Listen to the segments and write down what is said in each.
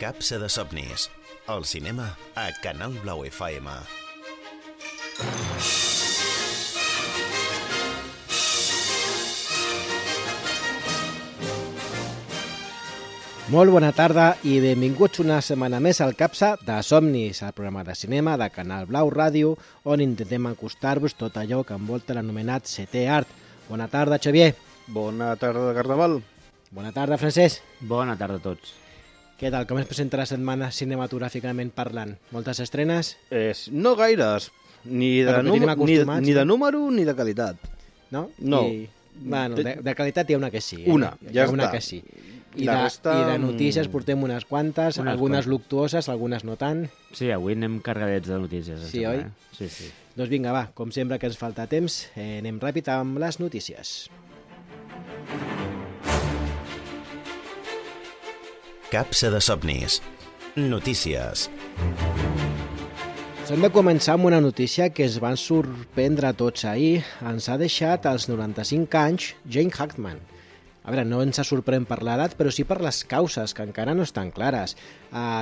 Capsa de somnis. El cinema a Canal Blau FM. Molt bona tarda i benvinguts una setmana més al Capsa de Somnis, el programa de cinema de Canal Blau Ràdio, on intentem acostar-vos tot allò que envolta l'anomenat setè art. Bona tarda, Xavier. Bona tarda, Carnaval. Bona tarda, Francesc. Bona tarda a tots. Què tal? Com es presenta la setmana cinematogràficament parlant? Moltes estrenes? No gaires, ni de número ni de qualitat. No? No. Bueno, de qualitat hi ha una que sí. Una, ja una està. Que sí. I resta... de notícies portem unes quantes, algunes luctuoses, algunes no tant. Sí, avui anem cargadets de notícies. Sí, oi? Sí, sí. Doncs vinga, va, com sempre que ens falta temps, anem ràpid amb les notícies. Capsa de somnis. Notícies. Hem de començar amb una notícia que es van sorprendre a tots ahir. Ens ha deixat als 95 anys Gene Hackman. A veure, no ens sorprèn per l'edat, però sí per les causes, que encara no estan clares.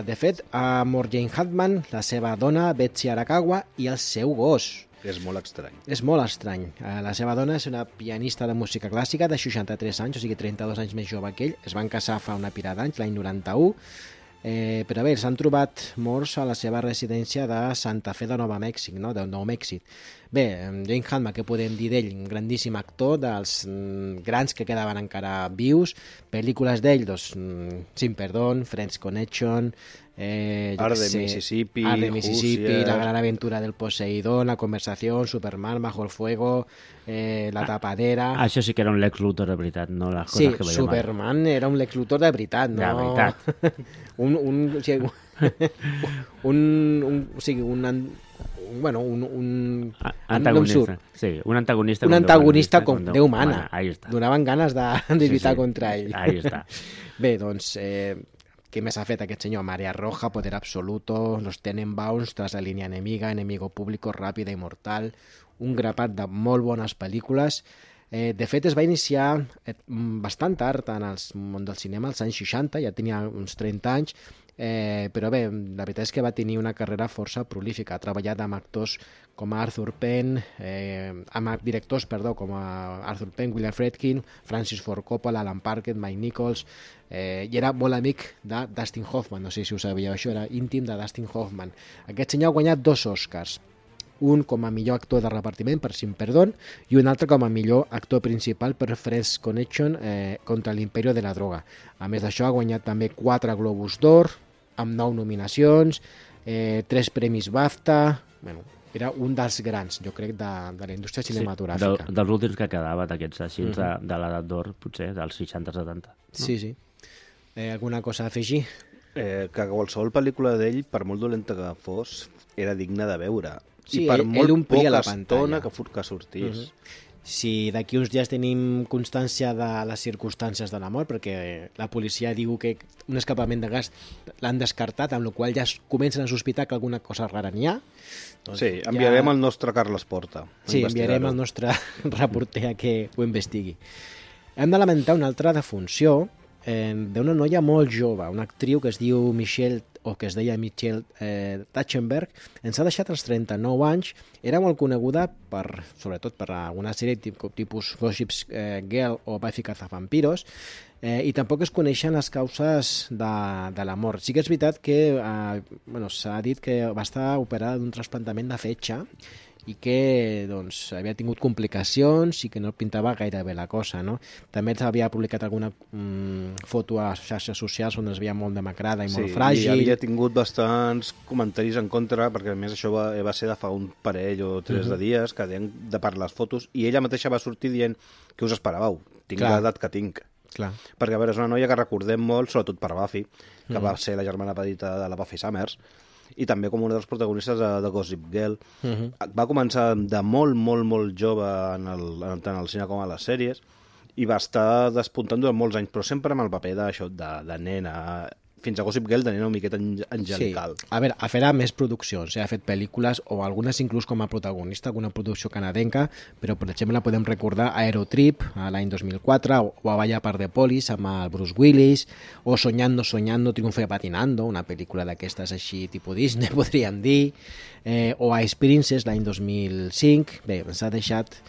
De fet, ha mort Gene Hackman, la seva dona, Betsy Arakawa, i el seu gos. És molt estrany. És molt estrany. La seva dona és una pianista de música clàssica de 63 anys, o sigui 32 anys més jove que ell. Es van casar fa una pila d'anys, l'any 91. Però bé, s'han trobat morts a la seva residència de Santa Fe de Nova Mèxic, no? De Nou Mèxic. Bé, Gene Hackman, què podem dir d'ell? Un grandíssim actor, dels grans que quedaven encara vius. Pel·lícules d'ell, doncs, Sin Perdón, Friends Connection, Art de Mississippi, La gran aventura del Poseidón, La conversación, Superman, Bajo el fuego, La tapadera... Això sí que era un Lex Luthor de veritat, no les coses que veiem. Sí, Superman era un Lex Luthor de veritat, no? De veritat. Un antagonista. Sí, un antagonista. Un antagonista com Déu mana. Ahí està. Donaven ganes de lluitar contra ell. Ahí està. Bé, doncs, què més ha fet aquest senyor? Marea Roja, Poder Absoluto, Los Tenenbaums, Tras la línia enemiga, Enemigo público, Ràpida i mortal, un grapat de molt bones pel·lícules. De fet, es va iniciar bastant tard en el món del cinema, als anys 60, ja tenia uns 30 anys, però bé, la veritat és que va tenir una carrera força prolífica. Ha treballat amb actors com Arthur Penn, amb directors, com Arthur Penn, William Friedkin, Francis Ford Coppola, Alan Parker, Mike Nichols, i era molt amic de Dustin Hoffman, no sé si ho sabíeu, això era íntim de Dustin Hoffman. Aquest senyor ha guanyat 2 Oscars, un com a millor actor de repartiment per Sin Perdón i un altre com a millor actor principal per Friends Connection contra l'Imperio de la Droga. A més d'això ha guanyat també 4 Globus d'Or, amb 9 nominacions, 3 premis BAFTA... Bueno, era un dels grans, jo crec, de la indústria cinematogràfica. Sí, dels últims que quedava, d'aquests així, de l'edat d'or, potser, dels 60-70. No? Sí. Alguna cosa a afegir? Que qualsevol pel·lícula d'ell, per molt dolenta que fos, era digna de veure. Sí, i per molt poca estona que sortís. Si d'aquí uns dies tenim constància de les circumstàncies de la mort, perquè la policia diu que un escapament de gas l'han descartat, amb la qual ja comencen a sospitar que alguna cosa rara n'hi ha. Doncs sí, enviarem el nostre Carles Porta. Sí, enviarem el nostre reporter a que ho investigui. Hem de lamentar una altra defunció d'una noia molt jove, una actriu que es diu Michelle Trachtenberg. Ens ha deixat als 39 anys. Era molt coneguda sobretot per alguna sèrie tipus Gossip Girl o Buffy Cazavampiros, i tampoc es coneixen les causes de la mort. Sí que és veritat que s'ha dit que va estar operada d'un trasplantament de fetge i que havia tingut complicacions i que no pintava gaire bé la cosa, no? També havia publicat alguna foto a xarxes socials on es veia molt demacrada i molt fràgil. Sí, i havia tingut bastants comentaris en contra, perquè a més això va ser de fa un parell o 3 de dies, que deien de per les fotos, i ella mateixa va sortir dient que us esperàveu, tinc l'edat que tinc. Clar. Perquè, a veure, és una noia que recordem molt, sobretot per Buffy, que va ser la germana petita de la Buffy Summers, i també com un dels protagonistes de Gossip Girl. Va començar de molt jove tant al cine com a les sèries i va estar despuntant durant molts anys, però sempre amb el paper de nena. fins a Gossip Girl tenia una miqueta angelical. Sí. A veure, farà més produccions, ha fet pel·lícules, o algunes inclús com a protagonista, alguna producció canadenca, però per exemple podem recordar Aerotrip, l'any 2004, o A Balla per The Police, amb el Bruce Willis, o Soñando, Soñando, Triunfe Patinando, una pel·lícula d'aquestes així tipus Disney, podríem dir, o Ice Princess, l'any 2005. Bé, ens ha deixat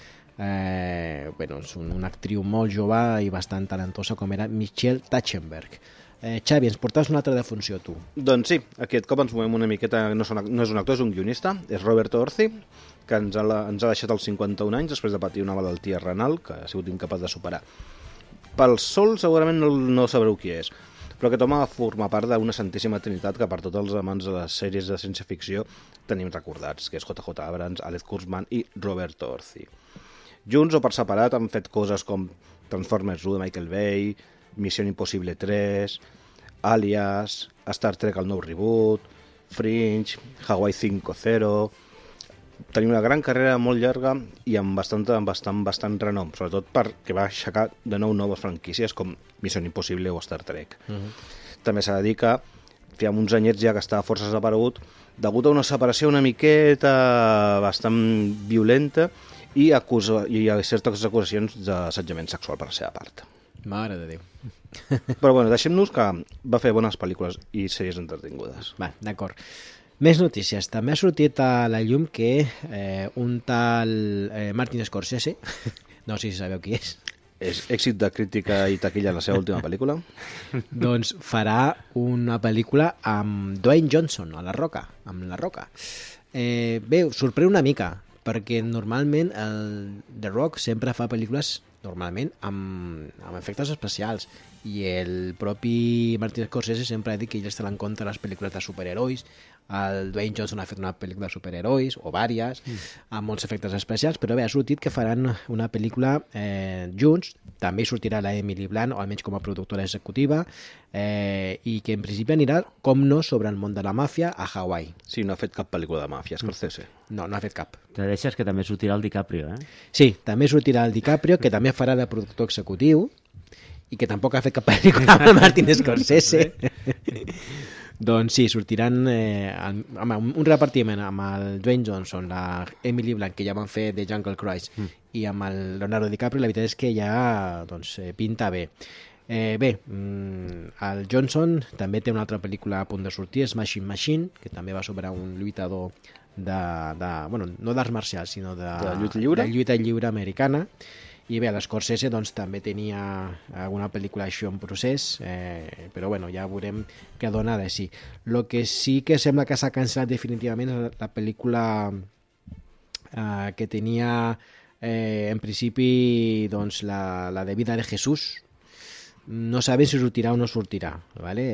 és una actriu molt jove i bastant talentosa com era Michelle Trachtenberg. Xavi, ens portaves una altra defunció, tu. Doncs sí, aquest cop ens movem una miqueta, no és un actor, és un guionista, és Roberto Orci, que ens ha deixat als 51 anys després de patir una malaltia renal que ha sigut incapaç de superar. Pel sol segurament no sabreu qui és, però aquest home forma part d'una santíssima trinitat que per tots els amants de les sèries de ciència-ficció tenim recordats, que és J.J. Abrams, Alex Kurtzman i Roberto Orci. Junts o per separat han fet coses com Transformers 1 de Michael Bay, Missió Impossible 3, Alias, Star Trek el nou reboot, Fringe, Hawaii 5.0... Tenim una gran carrera molt llarga i amb bastant renom, sobretot perquè va aixecar de nou noves franquícies com Missió Impossible o Star Trek. També s'ha de dir que feia uns anyets ja que estava força desaparegut degut a una separació una miqueta bastant violenta i a certes acusacions d'assetjament sexual per la seva part. Mare de Déu. Però bueno, deixem-nos que va fer bones pel·lícules i sèries entretingudes. Va, d'acord. Més notícies. També ha sortit a la llum que un tal Martin Scorsese, no sé si sabeu qui és. És èxit de crítica i taquilla la seva última pel·lícula. Doncs farà una pel·lícula amb Dwayne Johnson, a La Roca, amb La Roca. Bé, sorprèn una mica, perquè normalment el The Rock sempre fa pel·lícules normalment amb efectes especials i el propi Martin Scorsese sempre ha dit que ell estarà en contra de les pel·lícules de superherois. El Dwayne Johnson ha fet una pel·lícula de superherois o vàries, amb molts efectes especials, però bé, ha sortit que faran una pel·lícula junts. També sortirà la Emily Blunt, o almenys com a productora executiva, i que en principi anirà, com no, sobre el món de la màfia a Hawaii. Sí, no ha fet cap pel·lícula de màfia, Scorsese. No ha fet cap. Te deixes que també sortirà el DiCaprio, Sí, també sortirà el DiCaprio, que també farà de productor executiu, i que tampoc ha fet cap pel·lícula amb el Martin Scorsese. Doncs sí, sortiran amb un repartiment amb el Dwayne Johnson, la Emily Blunt, que ja van fer The Jungle Cruise, i amb el Leonardo DiCaprio. La veritat és que ja pinta bé. El Johnson també té una altra pel·lícula a punt de sortir, Smashing Machine, que també va sobre un lluitador no d'arts marcials, sinó de lluita lliure americana. I bé, l'Scorsese també tenia alguna pel·lícula així en procés, però bueno, ja veurem què dona de sí. El que sí que sembla que s'ha cancel·lat definitivament és la pel·lícula que tenia en principi la de Vida de Jesús. No sabem si sortirà o no sortirà, ¿vale?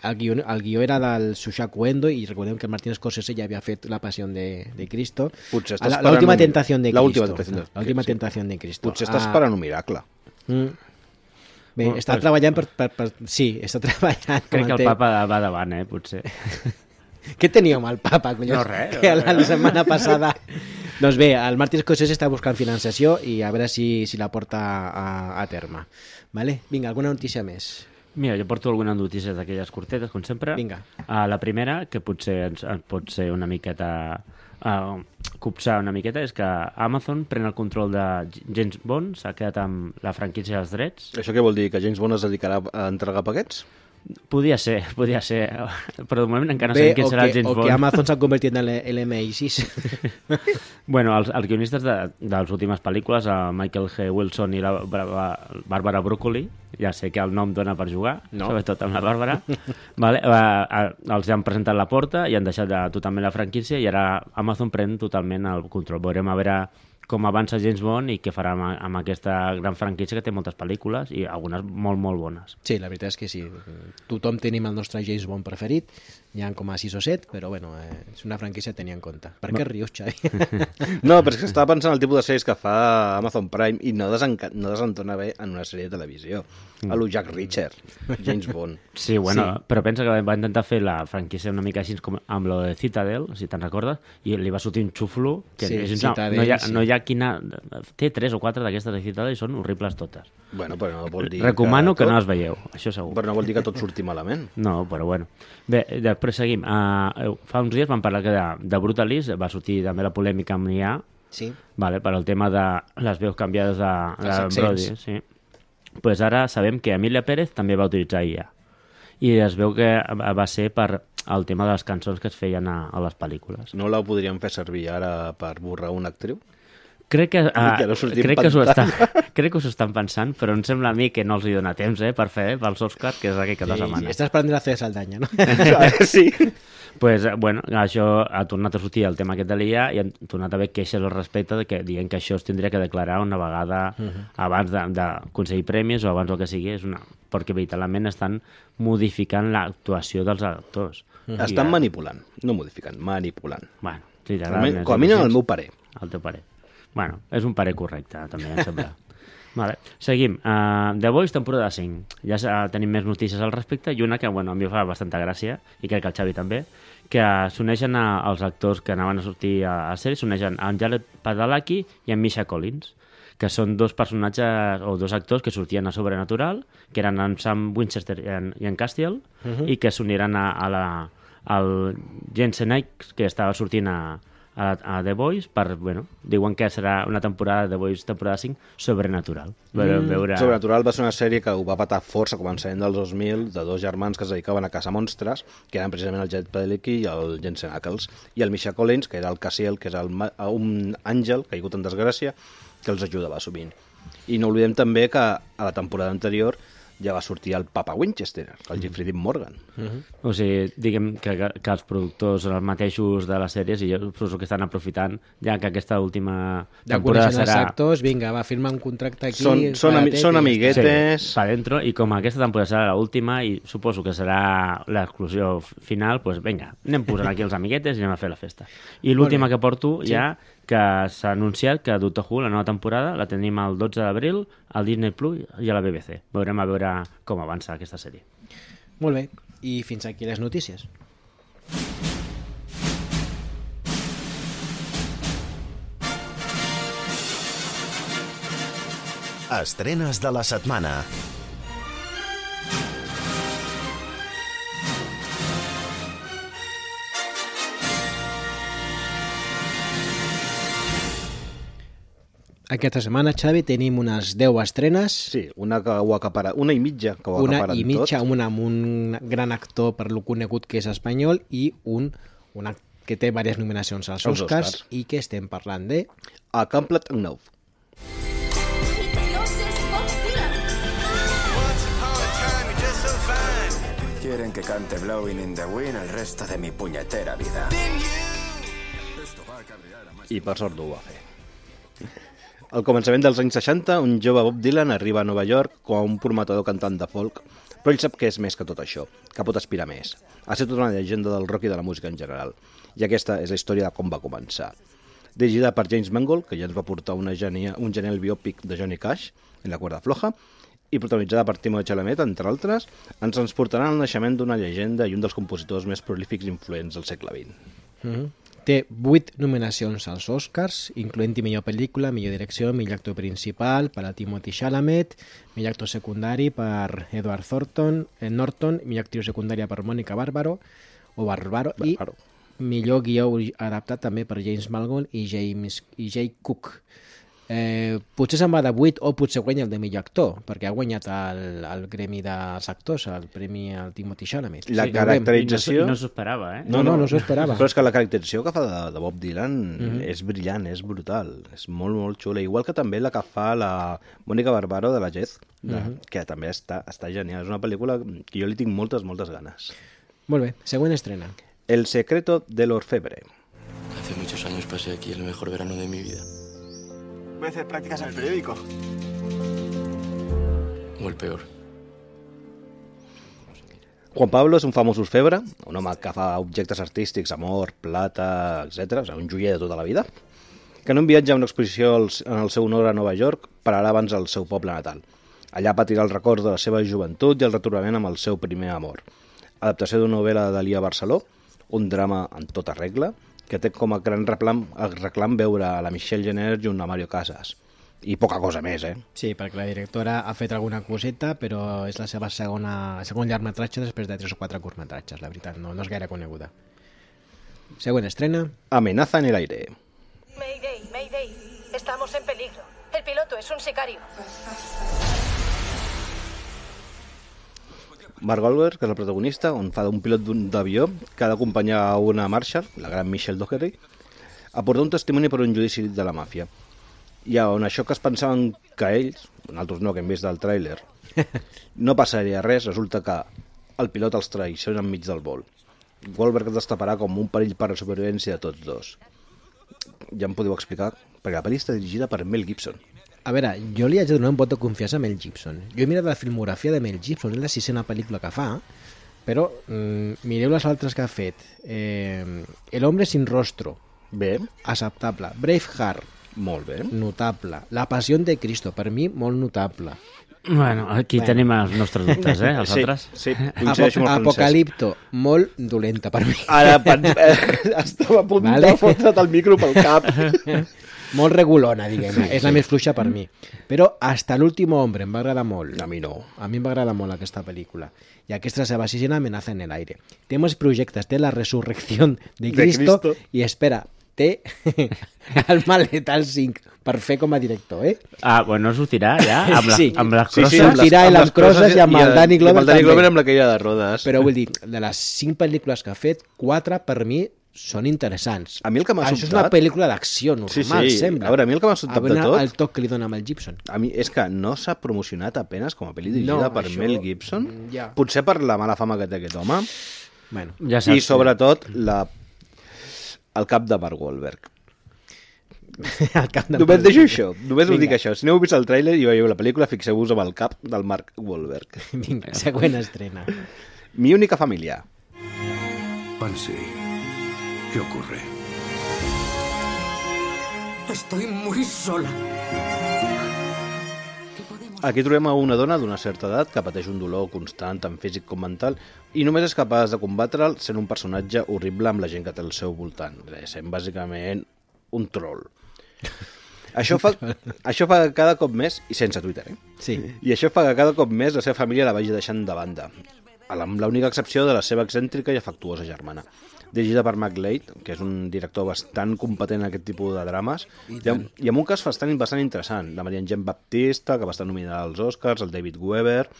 El guió era del Shousaku Endo i recordem que el Martin Scorsese ja havia fet La Pasión de Cristo. L'última tentació de Cristo. L'última tentació de Cristo. Potser està esperant un miracle. Bé, està treballant sí, està treballant. Crec que el papa va davant, potser. Què tenia amb el papa, collons? No, res. Que la setmana passada... Doncs bé, el Martin Scorsese està buscant financiació i a veure si la porta a terme. Vale? Vinga, alguna notícia més? Mira, jo porto algunes notícies d'aquelles curtetes, com sempre. Vinga. La primera, que potser ens pot ser una miqueta... copsar una miqueta, és que Amazon pren el control de James Bond, s'ha quedat amb la franquícia dels drets. Això què vol dir? Que James Bond es dedicarà a entregar paquets? Podia ser, però de moment encara no sabem qui serà el James Bond. O que Amazon s'ha convertit en l'MI6. Bueno, els guionistes de les últimes pel·lícules, Michael G. Wilson i la Bàrbara Broccoli, ja sé que el nom dona per jugar, sobretot amb la Bàrbara, vale? Els han presentat la porta i han deixat totalment la franquícia i ara Amazon pren totalment el control. Veurem a veure com avança James Bond i què farà amb aquesta gran franquícia que té moltes pel·lícules i algunes molt, molt bones. Sí, la veritat és que sí. Tothom tenim el nostre James Bond preferit Hi ha com a 6 o 7, però bueno, és una franquícia a tenir en compte. Per què rius, Xavi? No, però és que estava pensant el tipus de sèries que fa Amazon Prime i no desentona bé en una sèrie de televisió. A lo Jack Reacher, James Bond. Sí, bueno, sí. Però pensa que va intentar fer la franquícia una mica així com amb lo de Citadel, si te'n recordes, i li va sortir un xuflo que sí, és, Citadel, no hi ha quina... Té 3 o 4 d'aquestes de Citadel i són horribles totes. Bueno, però no vol dir Recomano que no les veieu, això segur. Però no vol dir que tot surti malament. No, però bueno. Bé, després seguim. Fa uns dies vam parlar que de Brutalist va sortir també la polèmica amb l'IA, sí. Vale, per al tema de les veus canviades de Brody. Sí. Pues ara sabem que Emilia Pérez també va utilitzar IA. I es veu que va ser per el tema de les cançons que es feien a les pel·lícules. No la podríem fer servir ara per borrar una actriu? Crec que s'ho estan pensant, però em sembla a mi que no els hi dona temps per fer pels Oscars, que és aquell cap de setmana. Sí, estàs prenent la Saldaña, no? Sí. Pues, bueno, això ha tornat a sortir el tema aquest de l'IA i han tornat a haver queixes al respecte de que dient que això es tindria que declarar una vegada abans d'aconseguir premis o abans del que sigui, perquè veritablement estan modificant l'actuació dels actors. Estan manipulant, no modificant, manipulant. Bueno, sí, com a mínim el meu parer. El teu parer. Bueno, és un parer correcte, també, em sembla. Vale. Seguim. The Boys, temporada 5. Ja tenim més notícies al respecte i una que, bueno, a mi fa bastanta gràcia, i crec que el Xavi també, que s'uneixen als actors que anaven a sortir a sèrie, s'uneixen en Jared Padalecki i en Misha Collins, que són dos personatges o dos actors que sortien a Sobrenatural, que eren en Sam Winchester i en Castiel, i que s'uniran al Jensen Ackles, que estava sortint a The Boys, bueno, diuen que serà una temporada de The Boys, temporada 5, Sobrenatural. Sobrenatural va ser una sèrie que ho va patar força a començament dels 2000, de dos germans que es dedicaven a caçar monstres, que eren precisament el Jared Padalecki i el Jensen Ackles, i el Misha Collins, que era el Castiel, que és un àngel caigut en desgràcia, que els ajudava sovint. I no oblidem també que a la temporada anterior ja va sortir el Papa Winchester, el Jeffrey Dean Morgan. O sigui, diguem que els productors són els mateixos de les sèries i jo suposo que estan aprofitant ja que aquesta última temporada serà... els actors, vinga, va, firma un contracte aquí... Són amiguetes... Sí, pa dentro, i com aquesta temporada serà l'última i suposo que serà l'exclusió final, doncs vinga, anem posant aquí els amiguetes i anem a fer la festa. I l'última que porto ja, que s'ha anunciat que Doctor Who, la nova temporada, la tenim el 12 d'abril al Disney Plus i a la BBC. Veurem a veure com avança aquesta sèrie. Molt bé, i fins aquí les notícies. Estrenes de la setmana. Aquesta setmana, Xavi, tenim unes 10 estrenes. Sí, una que ho acapara, una i mitja que ho acaparen tot. Una i mitja, una amb un gran actor per lo conegut que és espanyol i una que té diverses nominacions als Oscars i que estem parlant de... A Complete Unknown. Quieren que cante Blowing in the Wind el resto de mi puñetera vida. I per sort ho va fer. Al començament dels anys 60, un jove Bob Dylan arriba a Nova York com a un prometedor cantant de folk, però ell sap que és més que tot això, que pot aspirar més. Ha estat tota una llegenda del rock i de la música en general, i aquesta és la història de com va començar. Dirigida per James Mangold, que ja ens va portar un genial biòpic de Johnny Cash, en la cuerda floja, i protagonitzada per Timothée Chalamet, entre altres, ens transportarà al naixement d'una llegenda i un dels compositors més prolífics i influents del segle XX. Té 8 nominacions als Oscars, incloent-hi millor pel·lícula, millor direcció, millor actor principal per a Timothée Chalamet, millor actor secundari per Edward Norton, millor actriu secundària per Mònica Barbaro, i millor guió adaptat també per James Mangold i Jay Cook. Potser se'n va de 8 o potser guanya el de millor actor, perquè ha guanyat el gremi dels actors, el premi al Timothée Chalamet. La caracterització... No s'ho esperava, eh? No s'ho esperava. Però és que la caracterització que fa de Bob Dylan és brillant, és brutal, és molt, molt xula. Igual que també la que fa la Mònica Barbaro de la Jez, que també està genial. És una pel·lícula que jo li tinc moltes, moltes ganes. Molt bé, següent estrena. El secreto del orfebre. Hace muchos años pasé aquí el mejor verano de mi vida. Voy a hacer prácticas en el periódico. O el peor. Juan Pablo és un famós orfebre, un home que fa objectes artístics, amor, plata, etc. Un joier de tota la vida, que en un viatge a una exposició en el seu honor a Nova York pararà abans al seu poble natal. Allà patirà el record de la seva joventut i el retrobament amb el seu primer amor. Adaptació d'una novel·la d'Elia Barceló, un drama en tota regla, que té com a gran reclam veure a la Michelle Jenner junt a Mario Casas. I poca cosa més, Sí, perquè la directora ha fet alguna coseta, però és la seva segon llargmetratge després de 3 o 4 curtmetratges, la veritat, no és gaire coneguda. Següent estrena. Amenaza en el aire. Mayday, Mayday. Estamos en peligro. El piloto es un sicario. Mark Wahlberg, que és el protagonista, on fa d'un pilot d'avió que ha d'acompanyar a una Marshall, la gran Michelle Dockery, a portar un testimoni per un judici de la màfia. I on això que es pensaven que ells, nosaltres no, que hem vist del tràiler, no passaria res, resulta que el pilot els traiciona enmig del vol. Wahlberg es destaparà com un perill per a la supervivència de tots dos. Ja em podeu explicar, perquè la pel·li està dirigida per Mel Gibson. A veure, jo li haig de donar un vot de confiança a Mel Gibson. Jo he mirat la filmografia de Mel Gibson, és la 6ª pel·lícula que fa, però mireu les altres que ha fet. El hombre sin rostro. Bé. Acceptable. Braveheart. Molt bé. Notable. La Pasión de Cristo, per mi, molt notable. Bueno, aquí tenim els nostres dubtes, els altres. Sí, coincideixo amb el Apocalipto, molt dolenta per mi. Ara estava a punt de fotre't el micro pel cap. Molt regulona, diguem-ne. És la més fluixa per mi. Però Hasta l'último hombre em va agradar molt. A mi no. A mi em va agradar molt aquesta pel·lícula. I aquesta és la seva 6ª Amenaza en el aire. Té molts projectes. Té La resurrección de Cristo. I espera, té el Maletal 5 per fer com a director, Ah, bueno, sortirà ja amb les crosses. Sí, sortirà amb les crosses i amb el Danny Glover també. Amb el Danny Glover amb la caïda de rodes. Però vull dir, de les 5 pel·lícules que ha fet, 4 per mi són interessants. A mi el que m'ha sobtat... Això és una pel·lícula d'acció normal, sembla. A veure, a mi el que m'ha sobtat de tot... El toc que li dona amb el Gibson. A mi és que no s'ha promocionat apenes com a pel·li dirigida per Mel Gibson. Ja. Potser per la mala fama que té aquest home. Bueno, ja saps, i sobretot el cap de Mark Wahlberg. Només deixo això, només us dic això. Si no heu vist el tràiler i veieu la pel·lícula, fixeu-vos amb el cap del Mark Wahlberg. Vinga, següent estrena. Mi única familia. Pansy, ¿qué ocurre? Estoy muy sola. Aquí trobem a una dona d'una certa edat que pateix un dolor constant, tant físic com mental, i només és capaç de combatre'l sent un personatge horrible amb la gent que té al seu voltant, sent bàsicament un troll. Això fa que cada cop més, i sense Twitter, Sí. I això fa que cada cop més la seva família la vagi deixant de banda, amb l'única excepció de la seva excèntrica i afectuosa germana. Dirigida per Mark Leight, que és un director bastant competent en aquest tipus de drames, i amb un cas bastant interessant, la Maria Jean Baptista, que va estar nominada als Oscars, el David Weber...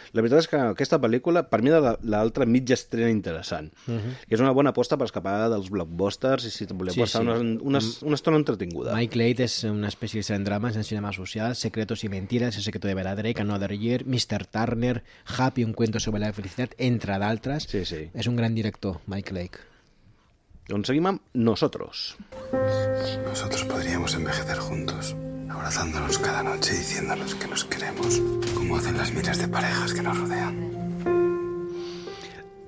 La veritat és que aquesta pel·lícula, per mi, és l'altra mitja estrena interessant, que és una bona aposta per escapar dels blockbusters i si voleu passar una estona entretinguda. Mike Leight és un especialista en drames, en cinema social, Secretos y mentiras, El secreto de Vera Drake, Another Year, Mr. Turner, Happy, un cuento sobre la felicidad, entre d'altres. Sí, sí. És un gran director, Mike Leight. Doncs seguim amb Nosotros. Nosotros podríamos envejecer juntos, abrazándonos cada noche y diciéndonos que nos queremos, como hacen las miles de parejas que nos rodean.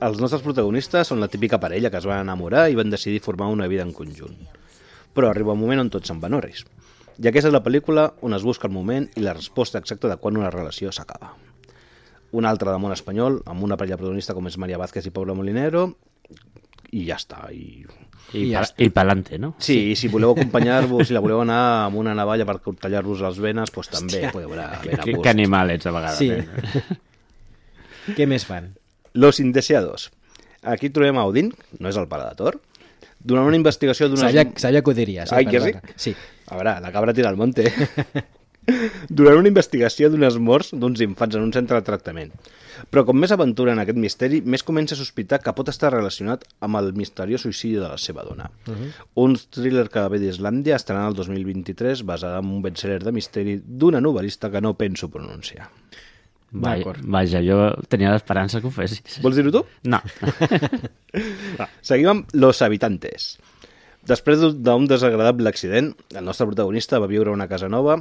Els nostres protagonistes són la típica parella que es van enamorar i van decidir formar una vida en conjunt. Però arriba un moment on tots se'n van orris. I aquesta és la pel·lícula on es busca el moment i la resposta exacta de quan una relació s'acaba. Una altra de món espanyol, amb una parella protagonista com és María Vázquez i Pablo Molinero, i ja està. I pa'lante, no? Sí, i si voleu acompanyar-vos, si la voleu anar amb una navalla per tallar-vos les venes, doncs també podeu anar ben a gust. Que animal ets a vegades. Sí. Què més fan? Los Indeseados. Aquí trobem a Odín, no és el pare de Thor, durant una investigació d'una... Sabia que ho diries. Ai, que sí? Sí. A veure, la cabra tira al monte. Durant una investigació d'unes morts d'uns infants en un centre de tractament. Però com més aventura en aquest misteri, més comença a sospitar que pot estar relacionat amb el misteriós suïcidi de la seva dona. Un thriller que ve d'Islàndia estarà el 2023 basada en un bestseller de misteri d'una novel·lista que no penso pronunciar. Vaja, jo tenia l'esperança que ho fessis. Vols dir-ho tu? No. Seguim amb Los Habitantes. Després d'un desagradable accident, el nostre protagonista va viure a una casa nova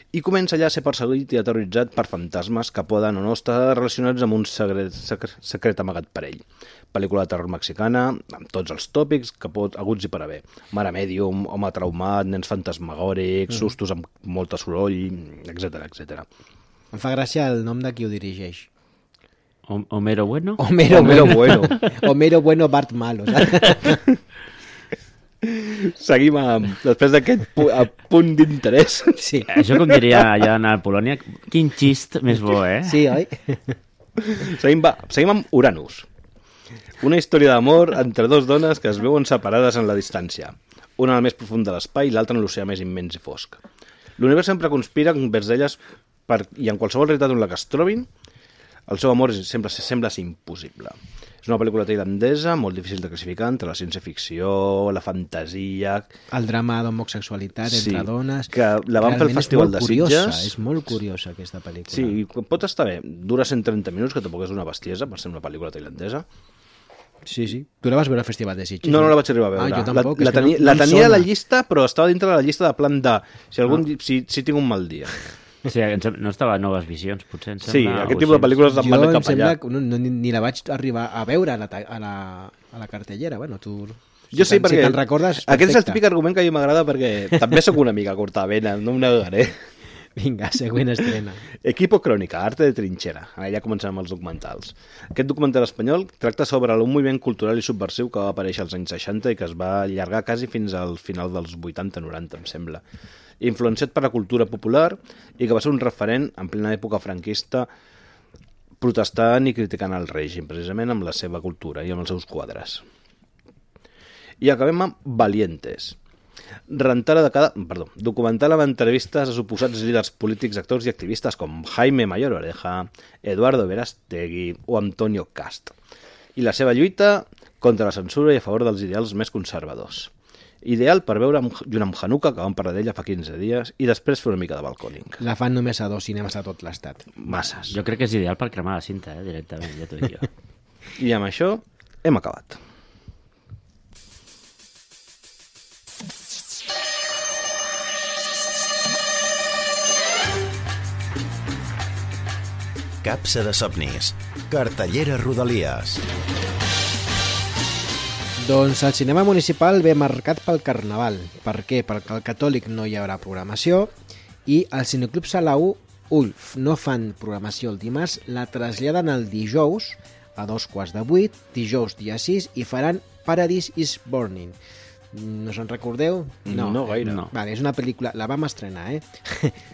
i comença allà a ser perseguit i aterroritzat per fantasmes que poden o no estar relacionats amb un secret amagat per ell. Pel·lícula de terror mexicana, amb tots els tòpics que aguts i per haver. Mare mèdium, home traumat, nens fantasmagòrics, sustos amb molta soroll, etc etc. Em fa gràcia el nom de qui ho dirigeix. Homero Bueno? Homero Bueno. Homero Bueno, Bart Malo. Seguim després d'aquest punt d'interès. Sí. Això com diria allà a Polònia, quin xist més bo, eh? Sí, oi? Seguim amb Uranus. Una història d'amor entre dues dones que es veuen separades en la distància. Una al més profund de l'espai i l'altra en l'oceà més immens i fosc. L'univers sempre conspira envers elles i en qualsevol realitat on la que es trobin, el seu amor sempre sembla ser impossible. És una pel·lícula tailandesa molt difícil de classificar entre la ciència-ficció, la fantasia... El drama d'homosexualitat entre dones... que la van fer al Festival de Sitges. És molt curiosa aquesta pel·lícula. Sí, pot estar bé. Dura 130 minuts, que tampoc és una bestiesa per ser una pel·lícula tailandesa. Sí, sí. Tu la vas veure al Festival de Sitges? No, no la vaig arribar a veure. Jo tampoc. La tenia a la llista, però estava dintre de la llista de plan de... Si tinc un mal dia. Sí, no estava a Noves Visions, potser. Sí, aquest tipus de pel·lícules em van cap allà. Ni la vaig arribar a veure a la cartellera. Bueno, tu... Jo sí, perquè te'n recordes, aquest és el típic argument que a mi m'agrada perquè també sóc una mica cortavena, no em negaré. Vinga, següent estrena. Equipo Crónica, arte de trinxera. Ara ja comencem amb els documentals. Aquest documental espanyol tracta sobre un moviment cultural i subversiu que va aparèixer als anys 60 i que es va allargar quasi fins al final dels 80-90, em sembla. Influenciat per la cultura popular i que va ser un referent en plena època franquista protestant i criticant el règim, precisament amb la seva cultura i amb els seus quadres. I acabem amb Valientes. Documental amb entrevistes a suposats líders polítics, actors i activistes com Jaime Mayor Oreja, Eduardo Verástegui o Antonio Cast, i la seva lluita contra la censura i a favor dels ideals més conservadors. Ideal per veure junt amb Hanukkah, que vam parlar d'ella fa 15 dies, i després fer una mica de balcòning. La fan només a 2 cinemes a tot l'estat. Masses. Jo crec que és ideal per cremar la cinta, directament, ja t'ho dic jo. I amb això hem acabat. Capsa de somnis. Cartellera Rodalies. Doncs el cinema municipal ve marcat pel Carnaval. Per què? Perquè al Catòlic no hi haurà programació i al Cineclub Sala 1, Ulf, no fan programació el dimarts, la traslladen el dijous a 7:15, dijous dia 6, i faran Paradise is Burning. No se'n recordeu? No gaire. No. Vale, és una pel·lícula... La vam estrenar,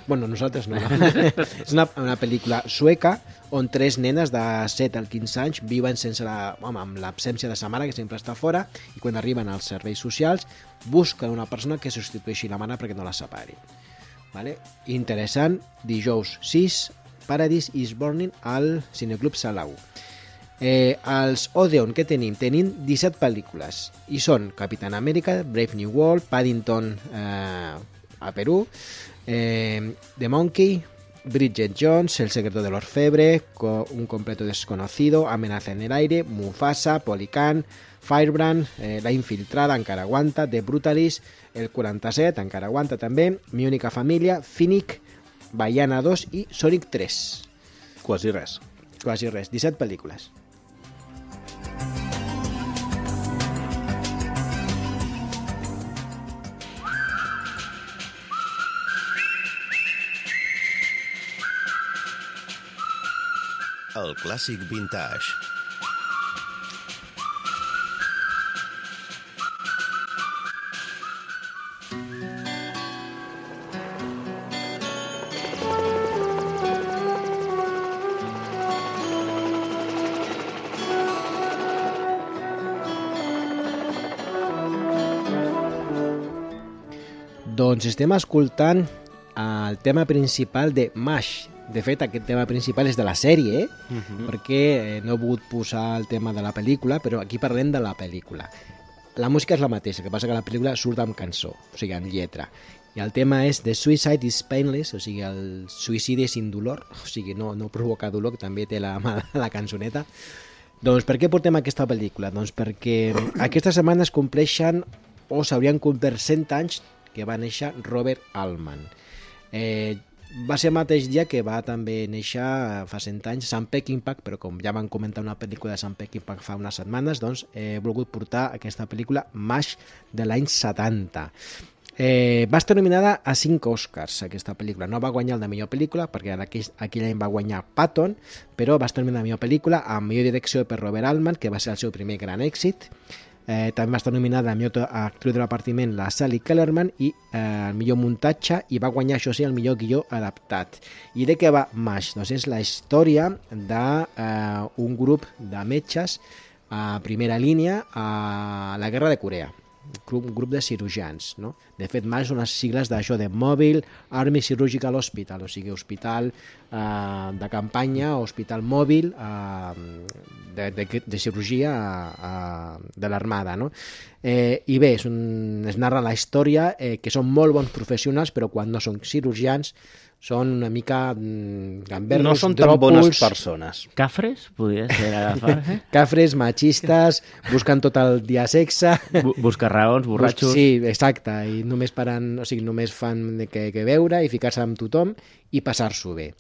Bueno, nosaltres no. És una pel·lícula sueca on 3 nenes de 7 als 15 anys viuen amb l'absència de sa mare, que sempre està fora, i quan arriben als serveis socials busquen una persona que substitueixi la mare perquè no la separin. Vale? Interessant. Dijous 6, Paradise is Burning al Cineclub Sala 1. Els Odeon que tenim 17 pel·lícules i són Capitán América, Brave New World, Paddington a Perú, The Monkey, Bridget Jones, El secreto del orfebre, Un completo desconocido, Amenaza en el aire, Mufasa, Policán, Firebrand, La infiltrada, encara aguanta, The Brutalist, El 47, encara aguanta també, Mi única família, Finnick, Baiana 2 i Sonic 3. Quasi res. 17 pel·lícules. El clàssic vintage. Doncs estem escoltant el tema principal de MASH. De fet, aquest tema principal és de la sèrie, perquè no he volgut posar el tema de la pel·lícula, però aquí parlem de la pel·lícula. La música és la mateixa, que passa que la pel·lícula surt amb cançó, o sigui, amb lletra. I el tema és The Suicide is Painless, o sigui, el suïcidi sin dolor, o sigui, no provoca dolor, que també té la cançoneta. Doncs per què portem aquesta pel·lícula? Doncs perquè aquesta setmana es compleixen, o s'haurien complert 100 anys que va néixer Robert Altman. va ser el mateix dia que va també néixer fa 100 anys Sam Peckinpah, però com ja van comentar una pel·lícula de Sam Peckinpah fa unes setmanes, doncs he volgut portar aquesta pel·lícula MASH de l'any 70. Va estar nominada a 5 Oscars aquesta pel·lícula. No va guanyar el de millor pel·lícula perquè aquell any va guanyar Patton, però va estar nominada a millor pel·lícula, a millor direcció per Robert Altman, que va ser el seu primer gran èxit. També va estar nominada a millor actriu de repartiment la Sally Kellerman i el millor muntatge, i va guanyar, això sí, el millor guió adaptat. I de què va MASH? Doncs és la història d'un grup de metges a primera línia a la guerra de Corea. Un grup de cirurgians, no? De fet, MASH són les sigles d'això de Mobile Army Surgical Hospital, o sigui, hospital de campanya, hospital mòbil de cirurgia de l'armada, no? I bé, es narra la història que són molt bons professionals, però quan no són cirurgians són una mica gamberros, no són tan bones persones. Cafres, podria ser agafar. Cafres, machistes, busquen tot el dia sexe. Buscar raons, borratxos. Sí, exacte, i només només fan que veure i ficar-se amb tothom i passar-s'ho bé.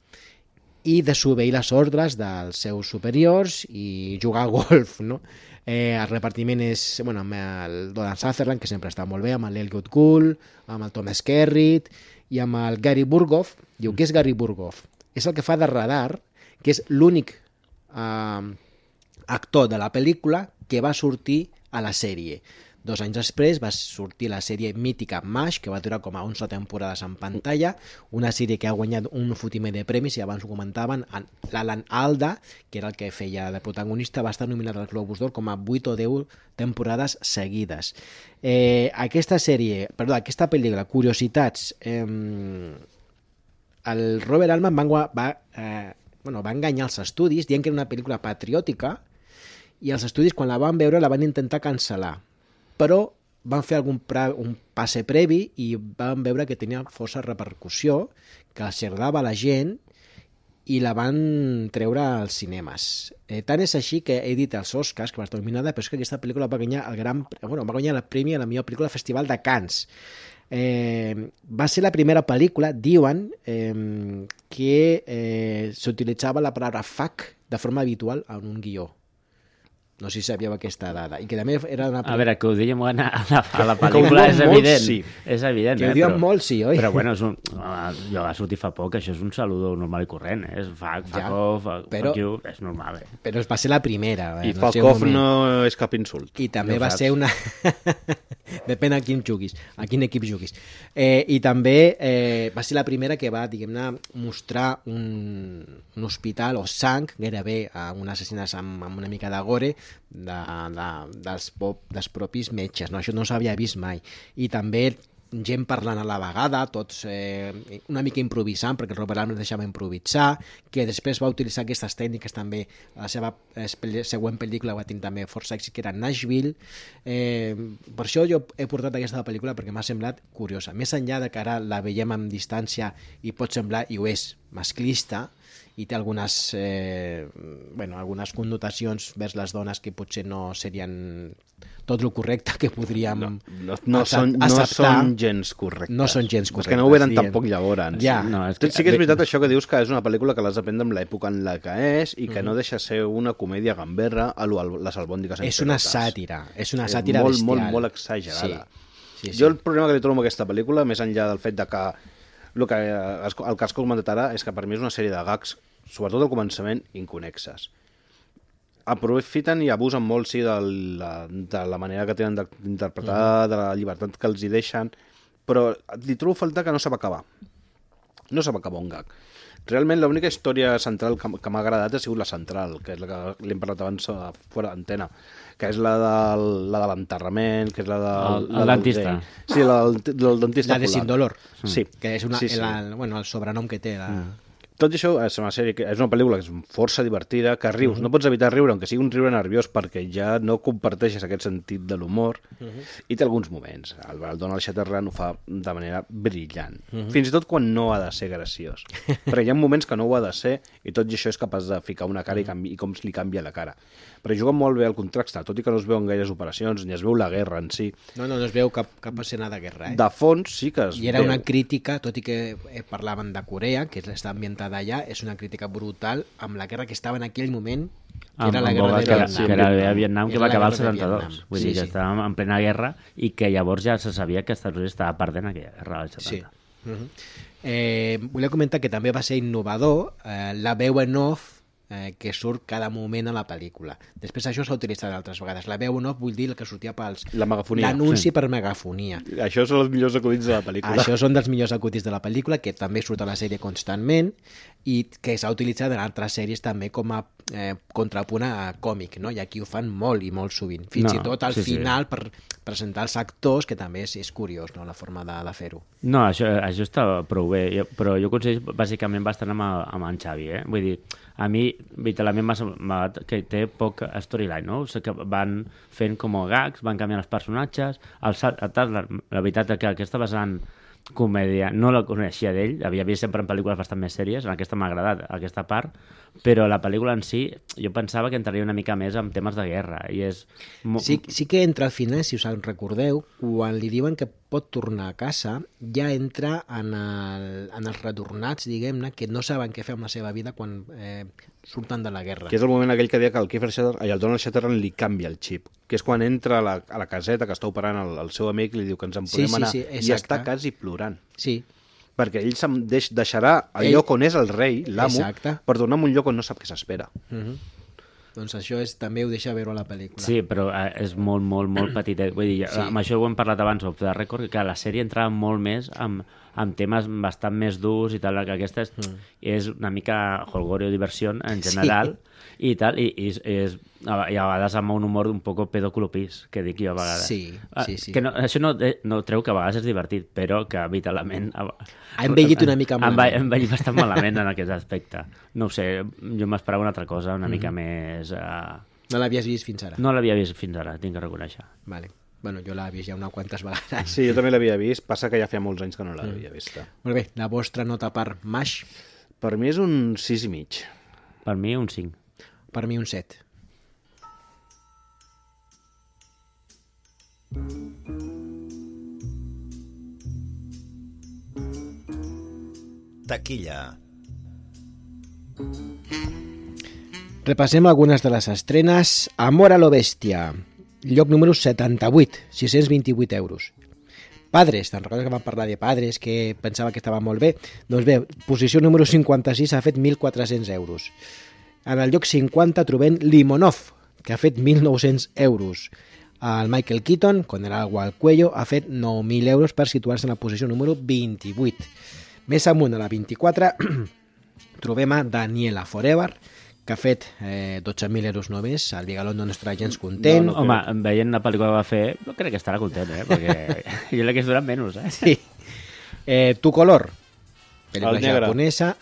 I desobeir les ordres dels seus superiors i jugar al golf, no? El repartiment és amb el Donald Sutherland, que sempre està molt bé, amb l'Elliot Gould, amb el Thomas Skerritt i amb el Gary Burghoff. Diu, què és Gary Burghoff? És el que fa de radar, que és l'únic actor de la pel·lícula que va sortir a la sèrie. 2 anys després va sortir la sèrie mítica MASH, que va durar com a 11 temporades en pantalla, una sèrie que ha guanyat un fotimer de premis, i abans ho comentaven, l'Alan Alda, que era el que feia de protagonista, va estar nominat al Globus d'Or com a 8 o 10 temporades seguides. Aquesta pel·lícula, curiositats, el Robert Altman va enganyar els estudis dient que era una pel·lícula patriòtica, i els estudis, quan la van veure, la van intentar cancel·lar, però van fer un passe previ i van veure que tenia força repercussió, que els agradava a la gent, i la van treure als cinemes. Tant és així que he dit als Oscars, que va estar nominada, però és que aquesta pel·lícula va guanyar el premi a la millor pel·lícula al Festival de Cannes. Va ser la primera pel·lícula, diuen, que s'utilitzava la paraula fuck de forma habitual en un guió. No sé si sabíeu aquesta dada. I que també era una... A veure, que ho diguem a la pel·lícula és evident. Sí. És evident, que ho diuen molt, sí, oi? Però bueno, jo va sortir fa poc, això és un saludo normal i corrent, és fuck off, fuck you, és normal. Però va ser la primera. I fuck off no és cap insult. I també va ser una... Depèn a quin juguis, a quin equip juguis. I també va ser la primera que va, diguem-ne, mostrar un hospital o sang, gairebé un assassinat amb una mica de gore, dels propis metges, no? Això no s'havia vist mai. I també gent parlant a la vegada, tots una mica improvisant, perquè Robert Altman deixava improvisar, que després va utilitzar aquestes tècniques també. La seva següent pel·lícula va tenir també força èxit, que era Nashville. Per això jo he portat aquesta pel·lícula, perquè m'ha semblat curiosa. Més enllà de que ara la veiem amb distància i pot semblar, i ho és, masclista, i té algunes connotacions vers les dones que potser no serien tot el correcte que podríem acceptar. No són gens correctes. No són gens correctes. És que no ho eren tampoc llavors. Ja. Sí que és veritat això que dius, que és una pel·lícula que l'has d'aprendre amb l'època en la que és i que no deixa ser una comèdia gamberra a les albòndigues. És una sàtira. És una sàtira bestial. Molt, molt exagerada. Sí. Jo el problema que li trobo amb aquesta pel·lícula, més enllà del fet de que el que has comentat ara, és que per mi és una sèrie de gags, sobretot al començament, inconexes. Aprofiten i abusen molt, sí, de la manera que tenen d'interpretar, de la llibertat que els hi deixen, però li trobo falta que no sap acabar. No sap acabar un gag. Realment, l'única història central que m'ha agradat ha sigut la central, que és la que l'hem parlat abans fora d'antena, que és la de l'enterrament, que és la del... El dentista. Sí, del dentista. La de Sin Dolor. Sí. Que és el sobrenom que té. Tot i això, és una sèrie és una pel·lícula que és força divertida, que rius, no pots evitar riure, aunque sigui un riure nerviós, perquè ja no comparteixes aquest sentit de l'humor, i té alguns moments. El Donald Sutherland ho fa de manera brillant. Fins i tot quan no ha de ser graciós. Perquè hi ha moments que no ho ha de ser, i tot i això és capaç de ficar una cara i com li canvia la cara. Però juga molt bé el contrast, tot i que no es veuen gaires operacions, ni es veu la guerra en si. No es veu cap escena de guerra, De fons sí que es veu. I era una crítica, tot i que parlaven de Corea, que està ambientada allà, és una crítica brutal amb la guerra que estava en aquell moment, que era la guerra de Vietnam. Que era la Vietnam, que va acabar el 72. Vull dir que estàvem en plena guerra i que llavors ja se sabia que Estats Units estava perdent aquella guerra del 70. Volia comentar que també va ser innovador la veu en off que surt cada moment a la pel·lícula. Després això s'ha utilitzat altres vegades. La veu en off vull dir el que sortia pels... La megafonia. L'anunci per megafonia. Això són els millors acudits de la pel·lícula. Això són dels millors acudits de la pel·lícula, que també surt a la sèrie constantment i que s'ha utilitzat en altres sèries també com a contrapunt a còmic, no? I aquí ho fan molt i molt sovint. Fins i tot al final per presentar els actors, que també és curiós, no?, la forma de fer-ho. No, això està prou bé, però jo considero bàsicament bastant amb en Xavi, Vull dir, a mi literalment m'ha semblat que té poc storyline, no? O sigui, que van fent com gags, van canviant els personatges, la veritat és que aquesta vessant comèdia no la coneixia d'ell, havia vist sempre en pel·lícules bastant més sèries, en aquesta m'ha agradat aquesta part, però la pel·lícula en si jo pensava que entraria una mica més en temes de guerra i és... Sí que entra al final, si us en recordeu, quan li diuen que pot tornar a casa, ja entra en els retornats, diguem-ne, que no saben què fer amb la seva vida quan surten de la guerra. Que és el moment aquell que deia que el Donald Sutherland li canvia el xip, que és quan entra a la caseta que està operant el seu amic i li diu que ens en podem anar, i està quasi plorant. Sí. Perquè ell deixarà el lloc on és el rei, l'amo, per tornar a un lloc on no sap què s'espera. Doncs això també ho deixa veure a la pel·lícula. Sí, però és molt, molt, molt petitet. Vull dir, amb això ho hem parlat abans, off the record, que la sèrie entrava molt més amb temes bastant més durs i tal, que aquesta és una mica holgorio diversió en general i tal, i a vegades amb un humor un poc pedoclopís, que dic jo a vegades. Sí. Que això no treu que a vegades és divertit, però que vitalment... Ha envellit una mica malament. Ha envellit bastant malament en aquest aspecte. No ho sé, jo m'esperava una altra cosa, una mica més... No l'havies vist fins ara? No l'havia vist fins ara, tinc que reconèixer. Vale. Bueno, jo l'he vist ja unes quantes vegades. Sí, jo també l'havia vist, passa que ja feia molts anys que no l'havia vista. Molt bé, la vostra nota per MASH? Per mi és un 6,5. Per mi un 5. Per mi un 7. Taquilla. Repassem algunes de les estrenes. Amor a lo bèstia, lloc número 78, 628 euros. Padres, te'n recordes que vam parlar de Padres, que pensava que estava molt bé? Doncs bé, posició número 56 ha fet 1.400 euros. En el lloc 50 trobem Limonov, que ha fet 1.900 euros. El Michael Keaton, con el agua al cuello, ha fet 9.000 euros per situar-se en la posició número 28. Més amunt, a la 24, trobem a Daniela Forever, que ha fet 12.000 euros només, el Bigalón no estarà gens content. No, home, veient la pel·lícula que va fer, no crec que estarà content, perquè jo crec que es duran menys, Sí. Tu color, pel·lícula El negre. japonesa.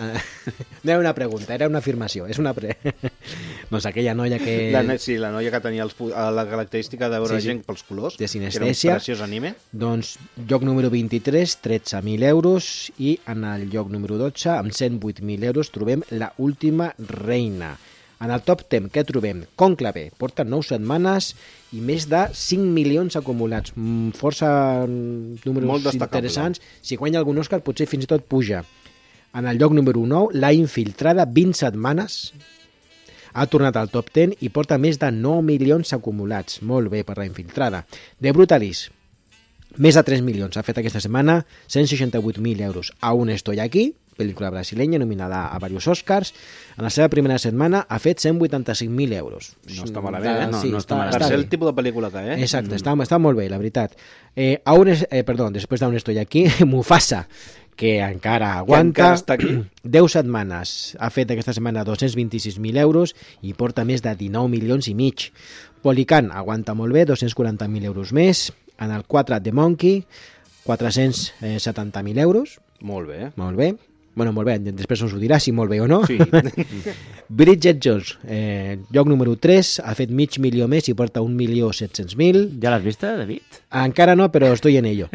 No era una pregunta, era una afirmació. És una doncs aquella noia que... Sí, la noia que tenia la característica de veure gent pels colors, de que era un sinestèsia. preciós anime. Doncs lloc número 23, 13.000 euros, i en el lloc número 12, amb 108.000 euros, trobem La última reina. En el top 10, què trobem? Cònclave, porta 9 setmanes i més de 5 milions acumulats. Força números Molt destacable. interessants. Si guanya algun Òscar, potser fins i tot puja. En el lloc número 9, La infiltrada, 20 setmanes. Ha tornat al top 10 i porta més de 9 milions acumulats. Molt bé per La infiltrada. The Brutalist, més de 3 milions. Ha fet aquesta setmana 168.000 euros. Aún estoy aquí, pel·lícula brasileña nominada a diversos Oscars. En la seva primera setmana ha fet 185.000 euros. No està malament, Sí, no està malament. Per ser el tipus de pel·lícula que és. Exacte, està molt bé, la veritat. Després d'Aún estoy aquí, Mufasa, que encara aguanta, encara està aquí. 10 setmanes, ha fet aquesta setmana 226.000 euros i porta més de 19 milions i mig. Polican aguanta molt bé, 240.000 euros més. En el 4, The Monkey, 470.000 euros. Molt bé. Molt bé. Bueno, molt bé, després us ho dirà si molt bé o no. Sí. Bridget Jones, lloc número 3, ha fet 500.000 més i porta 1.700.000. Ja l'has vista, David? Encara no, però estoy en ello.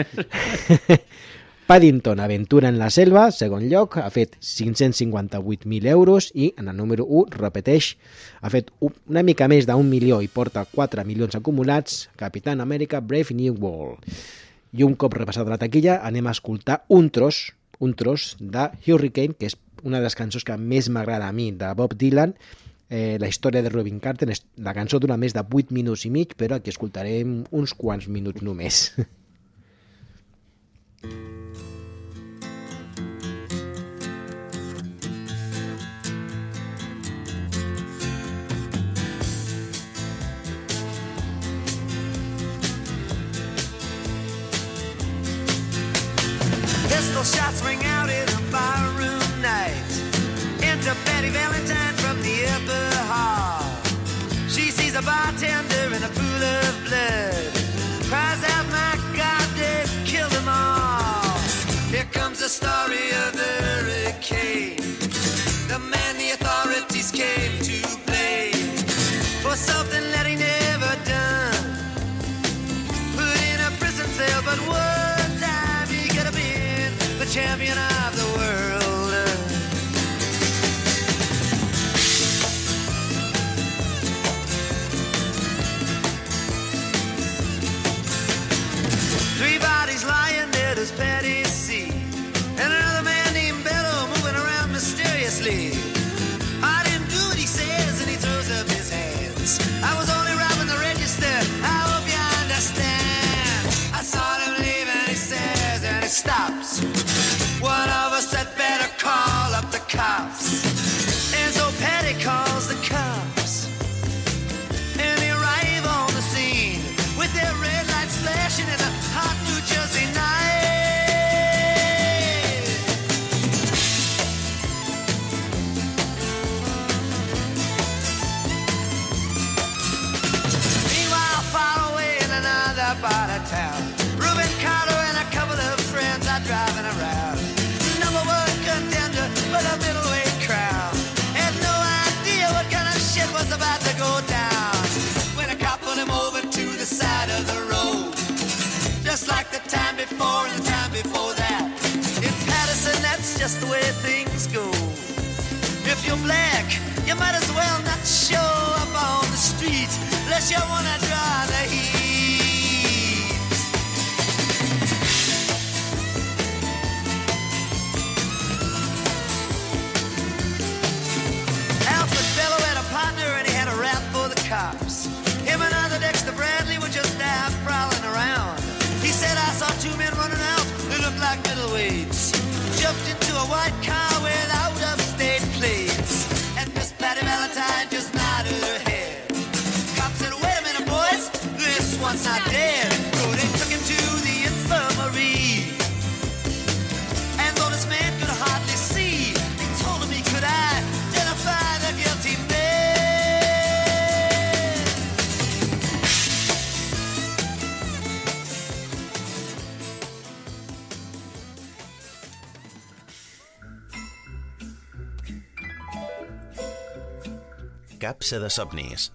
Paddington, Aventura en la selva, segon lloc, ha fet 558.000 euros i en el número 1, repeteix, ha fet una mica més d'1 milió i porta 4 milions acumulats, Capitán Amèrica Brave New World. I un cop repassada la taquilla anem a escoltar un tros de Hurricane, que és una de les cançons que més m'agrada a mi, de Bob Dylan, la història de Robin Carter. La cançó dura més de 8 minuts i mig, però aquí escoltarem uns quants minuts només. Pistol shots ring out in a barroom night. Enter Betty Valentine from the upper hall. She sees a bartender in a pool of blood. Cries out, my God, they've killed them all. Here comes the story of the hurricane. The man the authorities came to blame for something that he never done. Put in a prison cell, but one time he could have been the champion of the world. Three bodies lying dead as Patty C. And another man named Bello moving around mysteriously. I didn't do what he says, and he throws up his hands. I was only robbing the register, I hope you understand. I saw him leave and he says, and he stops. One of us had better call up the cops. And so Patty calls the cops. And they arrive on the scene with their red lights flashing in a hot New Jersey night. Meanwhile, far away in another part of town, Reuben Carter and a couple of friends are driving around. Number one contender for the middleweight crown. Had no idea what kind of shit was about to go down. When a cop pulled him over to the side of the road, just like the time before and the time before that. In Patterson, that's just the way things go. If you're black, you might as well not show up on the street unless you wanna draw the heat. Alfred Bello had a partner and he had a rap for the cops. Him and other Dexter Bradley were just out prowling around. He said, I saw two men running out who looked like middleweights. Jumped into a white car without upstate plates. And Miss Patty Valentine just nodded her head. Cop said, wait a minute, boys, this one's not dead. So they took him to the infirmary. And though this man could hardly see, he told him he could identify the guilty man. Capsa de somnis.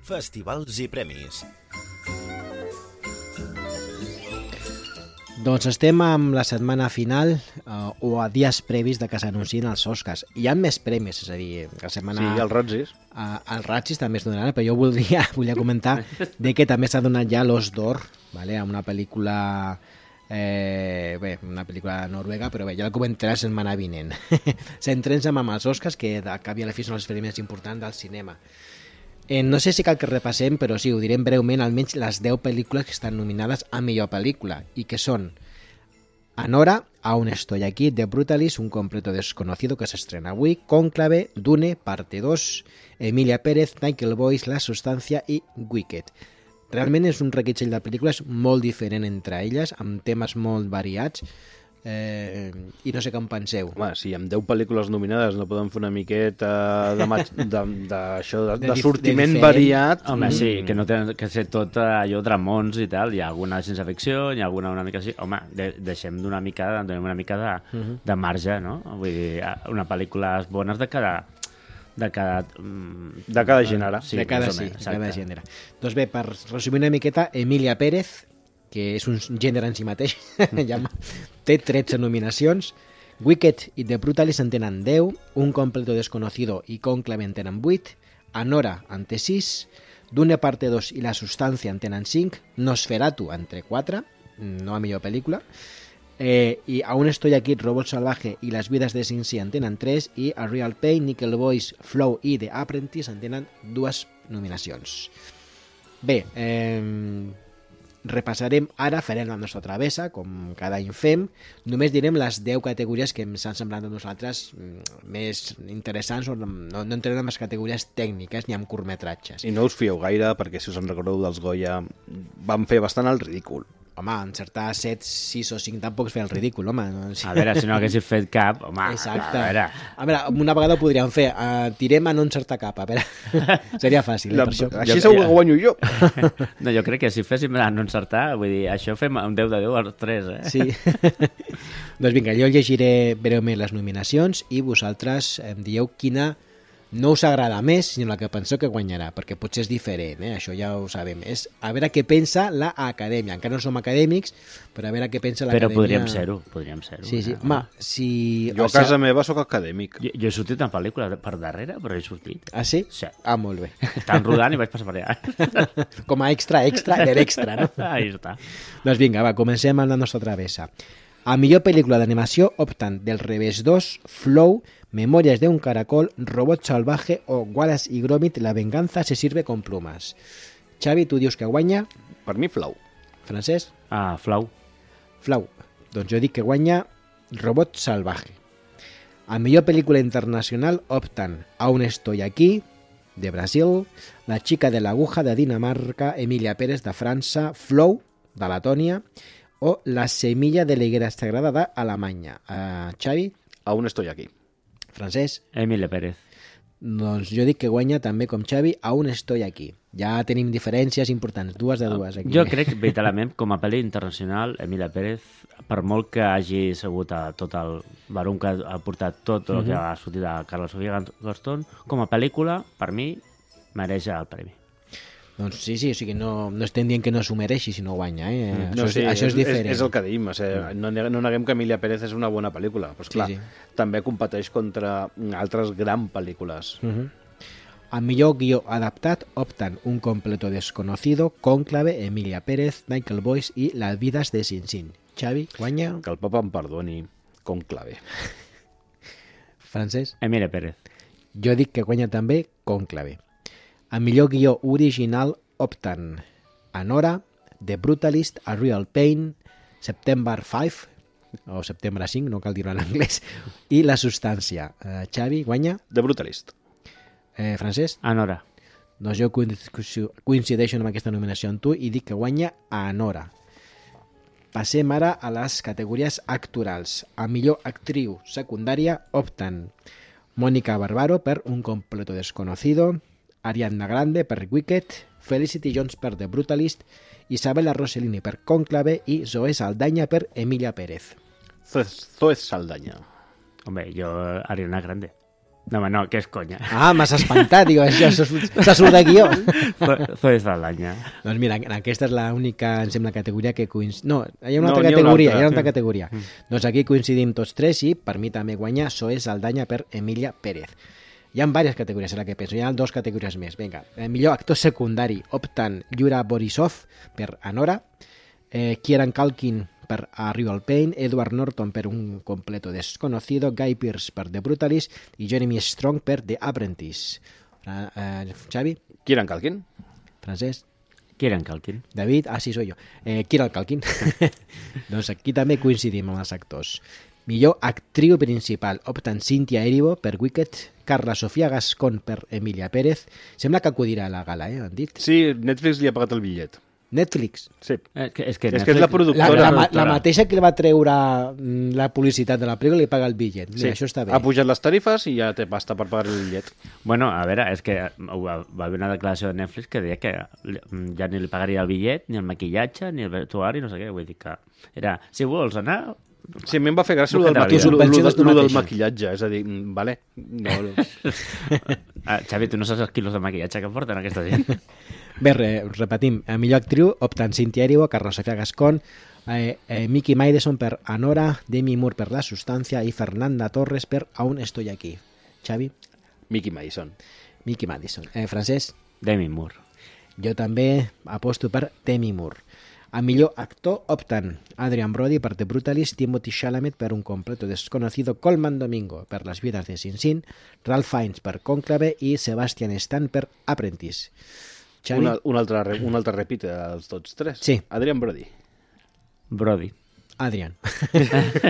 Festivals i premis. Doncs estem amb la setmana final o a dies previs de que s'anuncien els Oscars. Hi ha més premis, és a dir, la setmana... Sí, els Razzies. Els Razzies també es donaran, però jo volia comentar de que també s'ha donat ja l'Os d'Or, vale? A una pel·lícula... una pel·lícula noruega, però bé, ja la comentaré la setmana vinent. Centrem-nos amb els Oscars, que de cap i a la fi són els premis importants del cinema. No sé si cal que repassem, però sí, ho direm breument, almenys les 10 pel·lícules que estan nominades a millor pel·lícula, i que són Anora, Aún estoy aquí, The Brutalist, Un completo desconocido, que s'estrena avui, Cónclave, Dune, parte 2, Emilia Pérez, Michael Boyce, La sustancia i Wicked. Realment és un reguitzell de pel·lícules molt diferent entre elles, amb temes molt variats, i no sé què en penseu. Home, si amb 10 pel·lícules nominades no podem fer una miqueta de sortiment variat... Home, sí, que no té que ser tot allò dramons i tal, hi ha alguna sense ficció, hi ha alguna una mica així... Home, deixem donem una mica de marge, no? Vull dir, una pel·lícula bones de cada gènere. Sí, de cada gènere. Doncs bé, per resumir una miqueta, Emilia Pérez, que és un gènere en si mateix, té 13 nominacions, Wicked i The Brutalist en tenen 10, Un completo desconocido i Cónclave en tenen 8, Anora en té 6, Dune parte 2 i La sustancia en tenen 5, Nosferatu en té 4, no a millor pel·lícula, i Aún estoy aquí, Robot salvaje i Las vidas de Sin Si en tenen 3, i A Real Pain, Nickel Boys, Flow i The Apprentice en tenen 2 nominacions. Bé, repassarem ara, farem la nostra travessa, com cada any fem. Només direm les 10 categories que ens han semblat a nosaltres més interessants, o no entrem en les categories tècniques ni en curtmetratges. I no us fieu gaire, perquè si us en recordeu dels Goya, van fer bastant el ridícul. Home, encertar 7, 6 o 5 tampoc és fer el ridícul, home. No? Sí. A veure, si no haguéssim fet cap, home, exacte. A veure, una vegada ho podríem fer, tirem a no encertar cap, a veure, seria fàcil. Així segur que guanyo jo. No, jo crec que si féssim a no encertar, vull dir, això fem un 10 de 10 als 3, eh? Sí. Doncs vinga, jo llegiré breument les nominacions i vosaltres em dieu quina no us agrada més, sinó la que penseu que guanyarà, perquè potser és diferent, això ja ho sabem. És a veure què pensa l'acadèmia. Encara no som acadèmics, però a veure què pensa l'acadèmia. Però podríem ser-ho. Sí, sí. Home, si... Jo a casa meva sóc acadèmic. Jo he sortit en pel·lícula per darrere, però he sortit. Ah, sí? Sí. Ah, molt bé. Estan rodant i vaig passar per allà. Com a extra de l'extra, no? Ahí està. Doncs vinga, va, comencem amb la nostra travessa. A millor pel·lícula d'animació opten Del revés 2, Flow, Memorias de un caracol, Robot salvaje o Wallace y Gromit, La venganza se sirve con plumas. Xavi, tu dius que guanya? Per mi, Flow. Francesc? Flow. Flow. Doncs jo dic que guanya Robot salvaje. A millor pel·lícula internacional opten Aún estoy aquí, de Brasil, La chica de la aguja, de Dinamarca, Emilia Pérez, de França, Flow, de Letònia, o La semilla de la higuera sagrada d'Alemanya. Xavi? Aún estoy aquí. Francesc? Emilia Pérez. Doncs jo dic que guanya també com Xavi Aún estoy aquí. Ja tenim diferències importants, 2 de 2 aquí. Jo crec, veritablement, com a pel·li internacional, Emilia Pérez, per molt que hagi sigut tot el barum que ha portat tot el que ha sortit de Carla Sofia Gastón, com a pel·lícula, per mi, mereix el premi. Doncs sí, o sigui, no estem dient que no s'ho mereixi si no guanya, No, això és diferent. És el que diem, no neguem que Emilia Pérez és una bona pel·lícula, però esclar, també competeix contra altres grans pel·lícules. A millor guió adaptat opten Un completo desconocido, Cónclave, Emilia Pérez, Michael Boyce i Las vidas de Sin Sin. Xavi, guanya? Que el papa em perdoni, Cónclave. Francesc? Emilia Pérez. Jo dic que guanya també Cónclave. A millor guió original opten Anora, The Brutalist, A Real Pain, September 5, o Setembre 5, no cal dir-ho en anglès, i La substància. Xavi, guanya? The Brutalist. Francesc? Anora. Doncs jo coincideixo amb aquesta nominació amb tu i dic que guanya Anora. Passem ara a les categories actorals. A millor actriu secundària opten Mónica Barbaro per Un completo desconocido, Ariana Grande per Wicked, Felicity Jones per The Brutalist, Isabella Rossellini per Cónclave i Zoe Saldaña per Emilia Pérez. Zoe Saldaña. Home, jo Ariana Grande. No, que és conya. M'has espantat, digo, això se surt de guió. Zoe Saldaña. Doncs mira, aquesta és l'única, em sembla, categoria que coincideix. No, hi ha una altra categoria. Doncs aquí coincidim tots tres i per mi també guanya Zoe Saldaña per Emilia Pérez. Hi ha diverses categories, és la que penso. Hi ha 2 categories més. Vinga, millor actor secundari opten Yura Borisov per Anora, Kieran Culkin per A Real Pain, Edward Norton per Un completo desconocido, Guy Pearce per The Brutalist i Jeremy Strong per The Apprentice. Xavi? Kieran Culkin. Francesc? Kieran Culkin. David? Sí, soy yo. Kieran Culkin. Doncs aquí també coincidim amb els actors. Millor actriu principal opten Cynthia Erivo per Wicked, Carla Sofia Gascón per Emilia Pérez. Sembla que acudirà a la gala, han dit? Sí, Netflix li ha pagat el bitllet. Netflix. Sí. És que és la productora. La mateixa que li va treure la publicitat de la pel·lícula li paga el bitllet. Mira, això està bé. Ha pujat les tarifes i ja té pasta per pagar el bitllet. Bueno, a veure, és que va haver una declaració de Netflix que deia que ja ni li pagaria el bitllet, ni el maquillatge, ni el vestuari, no sé què. Vull dir que era, si vols anar... Sí, a mi em va fer gràcia el del maquillatge, és a dir, vale. No. Xavi, tu no saps els quilos de maquillatge que porten aquesta gent. Bé, repetim, a millor actriu opten Cynthia Erivo, Carlos Sofía Gascón, Miki Madison per Anora, Demi Moore per La Sustancia i Fernanda Torres per Aún estoy aquí. Xavi? Miki Madison. Francesc? Demi Moore. Jo també aposto per Demi Moore. A millor actor opten Adrian Brody per The Brutalist, Timothy Chalamet per Un completo desconocido, Colman Domingo per Las vidas de Sin Sin, Ralph Fiennes per Cònclave i Sebastian Stan per Apprentice. Xavi? Un altre repite dels tots tres. Sí. Adrian Brody. Adrian.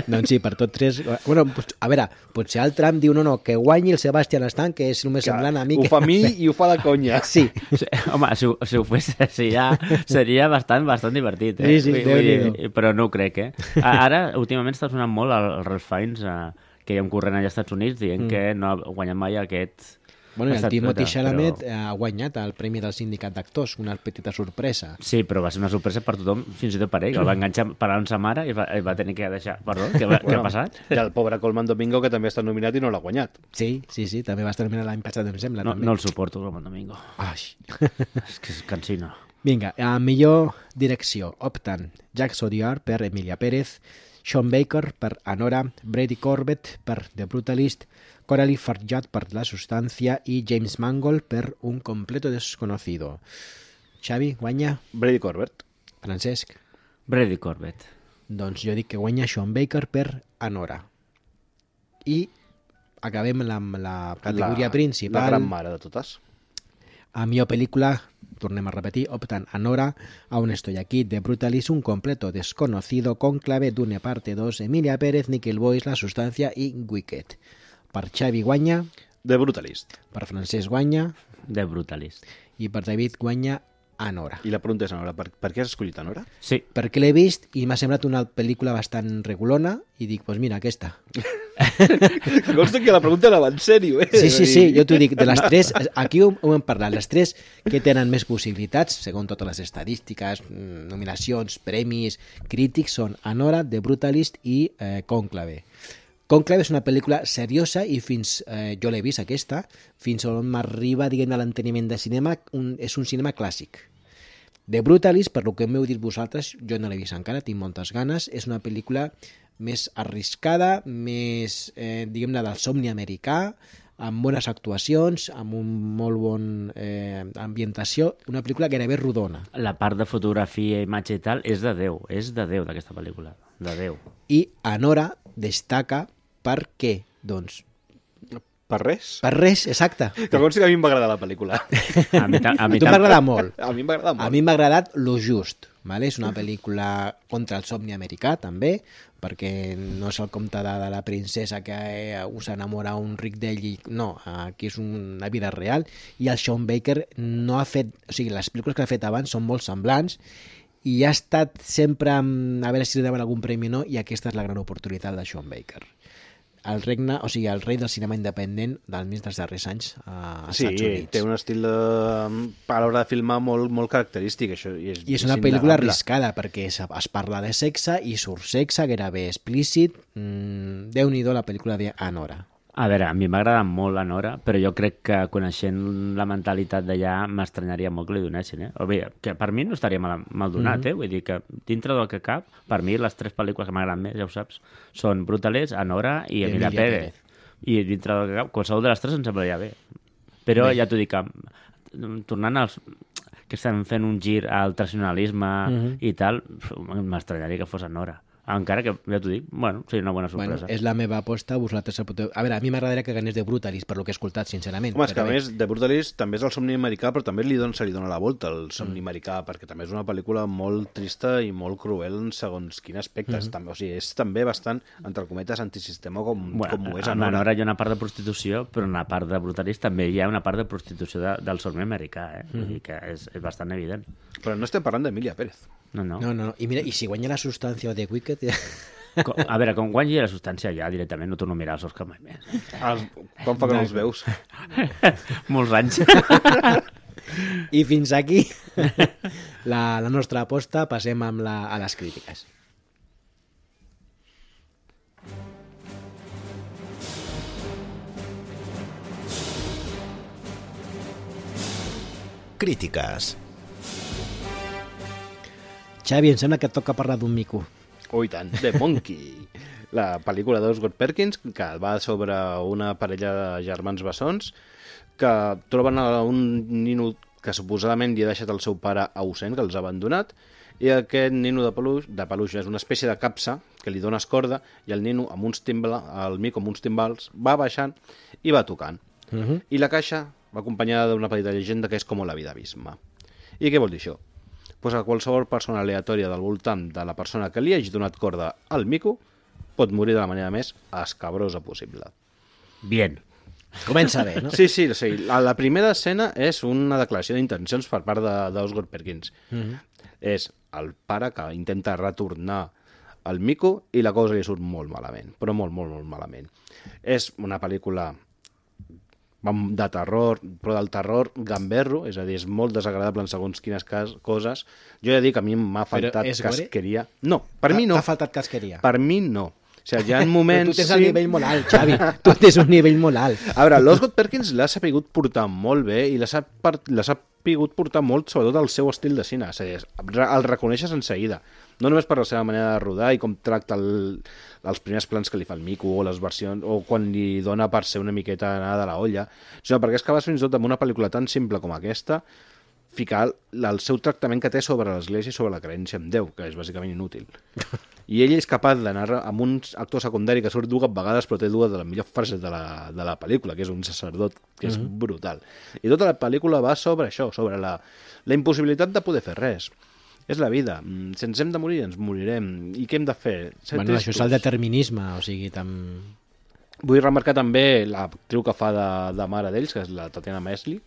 Doncs sí, per tots tres... Bueno, a veure, potser el Trump diu no, que guanyi el Sebastian Stan, que és només semblant a mi. Ho fa a mi i ho fa la conya. Sí. Home, si ho fes, seria bastant divertit. Sí, però no ho crec, Ara, últimament està sonant molt el Ralph Fiennes, que hi ha un corrent allà als Estats Units dient que no ha guanyat mai aquest... Bueno, el Timothy Chalamet ha guanyat el Premi del Sindicat d'Actors, una petita sorpresa. Sí, però va ser una sorpresa per tothom, fins i tot per ell. El va enganxar parlant sa mare i va tenir que deixar... Perdó, què ha passat? I el pobre Colman Domingo, que també està nominat i no l'ha guanyat. Sí, també va estar nominat l'any passat, em sembla. No el suporto, Colman Domingo. És que és cansino. Vinga, a millor direcció opten Jacques Audiard per Emilia Pérez, Sean Baker per Anora, Brady Corbett per The Brutalist, Coralie Farjad per La Sustancia i James Mangold per Un completo desconocido. Xavi, guanya? Brady Corbett. Francesc? Brady Corbett. Doncs jo dic que guanya Sean Baker per Anora. I acabem amb la categoria principal. La gran mare de totes. A millor pel·lícula, tornem a repetir, optan Anora, Aún estoy aquí, The Brutalist, Un completo desconocido, Cònclave, Dune parte 2, Emilia Pérez, Nickel Boys, La Sustancia i Wicked. Per Xavi guanya... The Brutalist. Per Francesc guanya... The Brutalist. I per David guanya Anora. I la pregunta és, Anora, per què has escollit Anora? Sí. Perquè l'he vist i m'ha semblat una pel·lícula bastant regulona i dic, doncs mira, aquesta. Consta que la pregunta era en sèrio, Sí, jo t'ho dic, de les tres, aquí ho hem parlat, les tres que tenen més possibilitats, segons totes les estadístiques, nominacions, premis, crítics, són Anora, The Brutalist i Cònclave. Cònclave és una pel·lícula seriosa i jo l'he vist aquesta, fins on m'arriba, diguem, a l'enteniment de cinema, és un cinema clàssic. The Brutalist, per lo que m'heu dit vosaltres, jo no l'he vist encara, tinc moltes ganes, és una pel·lícula més arriscada, més, diguem-ne, del somni americà, amb bones actuacions, amb un molt bon ambientació, una pel·lícula gairebé rodona. La part de fotografia, imatge i tal, és de Déu d'aquesta pel·lícula, de Déu. I Anora destaca per què? Doncs... Per res? Per res, exacte. Que consti que a mi em va agradar la pel·lícula. A mi m'ha agradat molt. A mi m'ha agradat molt. A mi m'ha agradat lo just. Vale? És una pel·lícula contra el somni americà, també, perquè no és el conte de la princesa que s'enamora un ric d'ell i... No, aquí és una vida real. I el Sean Baker no ha fet... O sigui, les pel·lícules que ha fet abans són molt semblants i ha estat sempre a veure si li donen algun premi o no, i aquesta és la gran oportunitat de Sean Baker. El rei del cinema independent del mig dels darrers anys als Estats Units. Sí, té un estil a l'hora de filmar molt característic. Això, I és una pel·lícula arriscada perquè es parla de sexe i surt sexe gairebé explícit. Déu-n'hi-do la pel·lícula d'Anora. A veure, a mi m'agrada molt la Nora, però jo crec que coneixent la mentalitat d'allà m'estranyaria molt que li donessin, que per mi no estaria mal donat, Vull dir que dintre del que cap, per mi les tres pel·lícules que m'agraden més, ja ho saps, són Brutalist, Anora i Emilia Pérez. I dintre del que cap, qualsevol de les tres em semblaria bé. Però ja t'ho dic, tornant als... que estem fent un gir al tradicionalisme i tal, m'estranyaria que fos Anora. Encara que, ja t'ho dic, bueno, seria una bona sorpresa. És la meva aposta, vosaltres... A veure, a mi m'agradaria que ganés The Brutalist, per lo que he escoltat, sincerament. Home, és que a més, The Brutalist també és el somni americà, però també se li dona la volta al somni americà, perquè també és una pel·lícula molt trista i molt cruel en segons quin aspecte. O sigui, és també bastant, entre cometes, antisistema com ho és a Nora. Nora hi ha una part de prostitució, però en la part de Brutalist també hi ha una part de prostitució del somni americà, Vull dir que és bastant evident. Però no estem parlant d'Emilia Pérez. No. I mira, i si guanya la substància de Wicked... A veure, quan guanyi la substància ja directament no torno a mirar els Oscars mai més. Com fa que no els veus? Molts anys. I fins aquí la nostra aposta. Passem a les crítiques. Crítiques. Xavi, em sembla que et toca parlar d'un mico. Oh, i tant, The Monkey. La pel·lícula d'Osgood Perkins, que va sobre una parella de germans bessons que troben un nino que suposadament li ha deixat el seu pare ausent, que els ha abandonat, i aquest nino de peluix és una espècie de capsa que li dones corda, i el nino amb el mico amb uns timbals va baixant i va tocant. I la caixa va acompanyada d'una petita llegenda que és com la vida abisma. I què vol dir això? Pues a qualsevol persona aleatòria del voltant de la persona que li hagi donat corda al mico pot morir de la manera més escabrosa possible. Bien. Comença bé, no? Sí. La primera escena és una declaració d'intencions per part d'Osgood Perkins. És el pare que intenta retornar el mico i la cosa li surt molt malament, però molt, molt, molt malament. És una pel·lícula de terror, però del terror gamberro, és a dir, és molt desagradable en segons quines coses. Jo he de dir que a mi m'ha faltat casqueria. No, per mi no. T'ha faltat casqueria? Per mi no. O sigui, hi ha moments... Però tu tens el nivell molt alt, Xavi. Tu tens un nivell molt alt. A veure, l'Osgood Perkins l'ha sapigut portar molt bé i l'ha sapigut portar molt, sobretot el seu estil de cine. És a dir, el reconeixes en seguida. No només per la seva manera de rodar i com tracta els primers plans que li fa el mico o les versions, o quan li dona per ser una miqueta anada de la olla, sinó perquè és capaç fins i tot amb una pel·lícula tan simple com aquesta ficar el seu tractament que té sobre l'Església i sobre la creença en Déu, que és bàsicament inútil. I ell és capaç d'anar amb un actor secundari que surt dues vegades però té dues de les millors frases de la pel·lícula, que és un sacerdot, que és brutal. I tota la pel·lícula va sobre això, sobre la impossibilitat de poder fer res. És la vida. Si ens hem de morir, ens morirem. I què hem de fer? Bueno, això és el determinisme, o sigui, Vull remarcar també l'actriu que fa de mare d'ells, que és la Tatiana Maslany,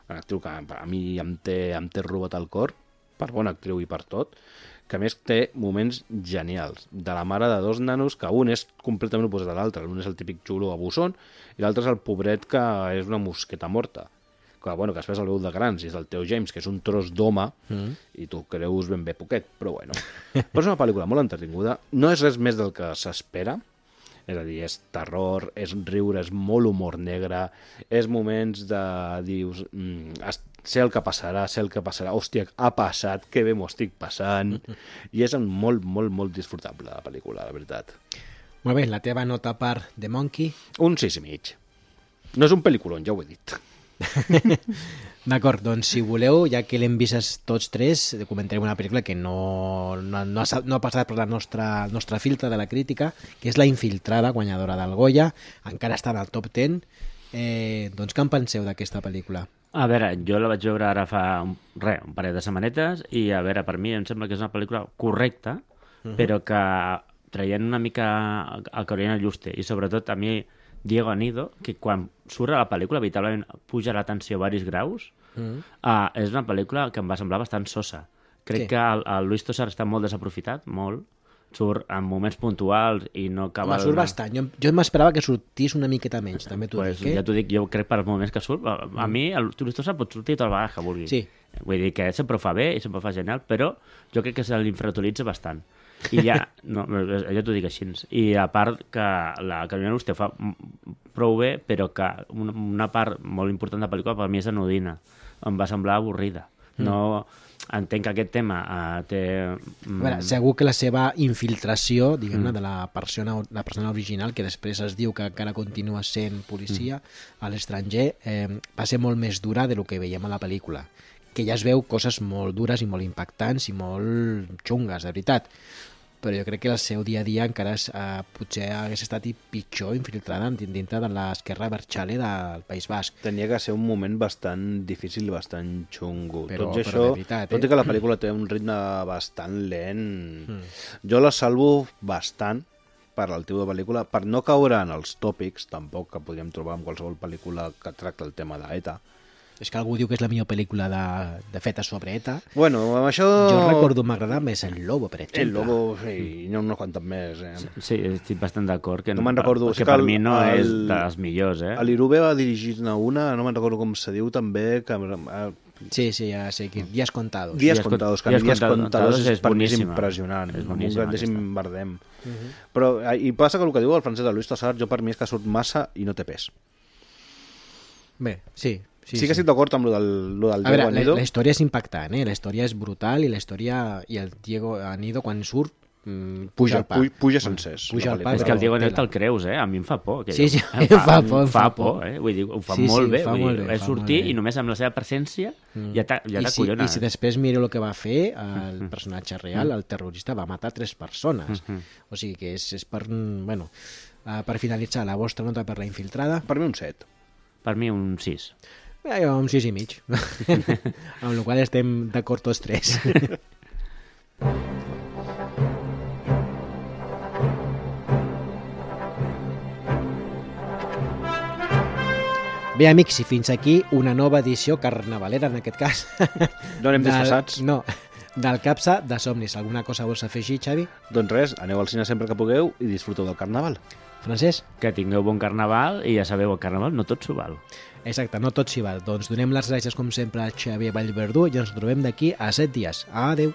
una actriu que a mi em té robat el cor, per bona actriu i per tot, que a més té moments genials. De la mare de dos nanos, que un és completament oposat a l'altre. Un és el típic xulo abusón i l'altre és el pobret que és una mosqueta morta. Que després el veu de grans, i és el Theo James, que és un tros d'home, i tu creus ben bé poquet, però bueno. Però és una pel·lícula molt entretinguda, no és res més del que s'espera, és a dir, és terror, és riure, és molt humor negre, és moments de, dius, sé el que passarà, hòstia, ha passat, que bé m'ho estic passant, i és molt, molt, molt disfrutable la pel·lícula, la veritat. Molt bé, la teva nota per The Monkey? Un 6,5. No és un pel·lículon, ja ho he dit. D'acord, doncs si voleu, ja que l'hem vist tots tres, comentarem una pel·lícula que no ha passat per la nostra filtre de la crítica, que és La Infiltrada, guanyadora del Goya, encara està en el top 10. Doncs què en penseu d'aquesta pel·lícula? A veure, jo la vaig veure ara fa un parell de setmanetes i a veure, per mi em sembla que és una pel·lícula correcta, però que traient una mica el que haurien el Juste, i sobretot a mi Diego Anido, que quan surt a la pel·lícula veritablement puja la tensió a varis graus, és una pel·lícula que em va semblar bastant sosa. Crec que el Luis Tosar està molt desaprofitat, molt. Surt en moments puntuals i no acaba... Home, surt bastant. Jo m'esperava que sortís una miqueta menys, també t'ho dic. Ja t'ho dic, jo crec per els moments que surt. A mi el Luis Tosar pot sortir totes les vegades que vulgui. Sí. Vull dir que sempre ho fa bé i sempre ho fa genial, però jo crec que se l'infrautilitza bastant. I ja, no, jo t'ho dic així. I a part que la Carolina Luste fa prou bé, però que una part molt important de la pel·lícula per mi és anodina. Em va semblar avorrida. No... Entenc que aquest tema té... A veure, segur que la seva infiltració, diguem-ne, de la persona original, que després es diu que encara continua sent policia a l'estranger, va ser molt més dura del que veiem a la pel·lícula. Que ja es veu coses molt dures i molt impactants i molt xungues, de veritat. però jo crec que el seu dia a dia encara potser hagués estat pitjor infiltrada dintre de l'esquerra Berchale del País Basc. Tenia que ser un moment bastant difícil i bastant xungo. Però tot i això, de veritat, tot i que la pel·lícula té un ritme bastant lent, jo la salvo bastant per el tipus de pel·lícula, per no caure en els tòpics, tampoc, que podríem trobar en qualsevol pel·lícula que tracta el tema d'ETA. És que algú diu que és la millor pel·lícula de feta sobre ETA. Bueno, amb això... Jo recordo m'agradar més El Lobo, per exemple. El Lobo, sí, i n'hi ha unes quantes més. Sí, estic bastant d'acord. Que no me'n recordo. Que per mi no és de les millors, L'Irube va dirigir-ne una, no me'n recordo com se diu també, que... Sí, ja sé, Días Contados. Días Contados, que Días Contados és per mi impressionant, és un grandíssim bardem. Però, i passa que el que diu el francès de Luis Tassar, jo per mi és que surt massa i no té pes. Bé, sí que estic d'acord amb lo del a veure, la història és impactant, la història és brutal i el Diego Anido quan surt puja el pa. Puja sencers. Puja el pa, és que el Diego Anido te'l creus, a mi em fa por. Sí, em fa por. Vull dir, ho fa molt bé. És sortir i només amb la seva presència ja t'acollona. I si després miro el que va fer, el personatge real, el terrorista, va matar 3 persones. O sigui que és per... Bueno, per finalitzar, la vostra nota per La Infiltrada? Per mi un 7. Per mi un 6. Un 6 i mig. Amb la qual estem d'acord tots 3. Bé, amics, i fins aquí una nova edició carnavalera, en aquest cas. No anem disfressats? No, del Capsa de Somnis. Alguna cosa vols afegir, Xavi? Doncs res, aneu al cine sempre que pugueu i disfruteu del carnaval. Francesc? Que tingueu bon carnaval i ja sabeu, el carnaval no tot s'ho val. Exacte, no tot s'hi val. Doncs donem les gràcies com sempre al Xavier Vallverdú i ens trobem d'aquí a 7 dies. Adeu.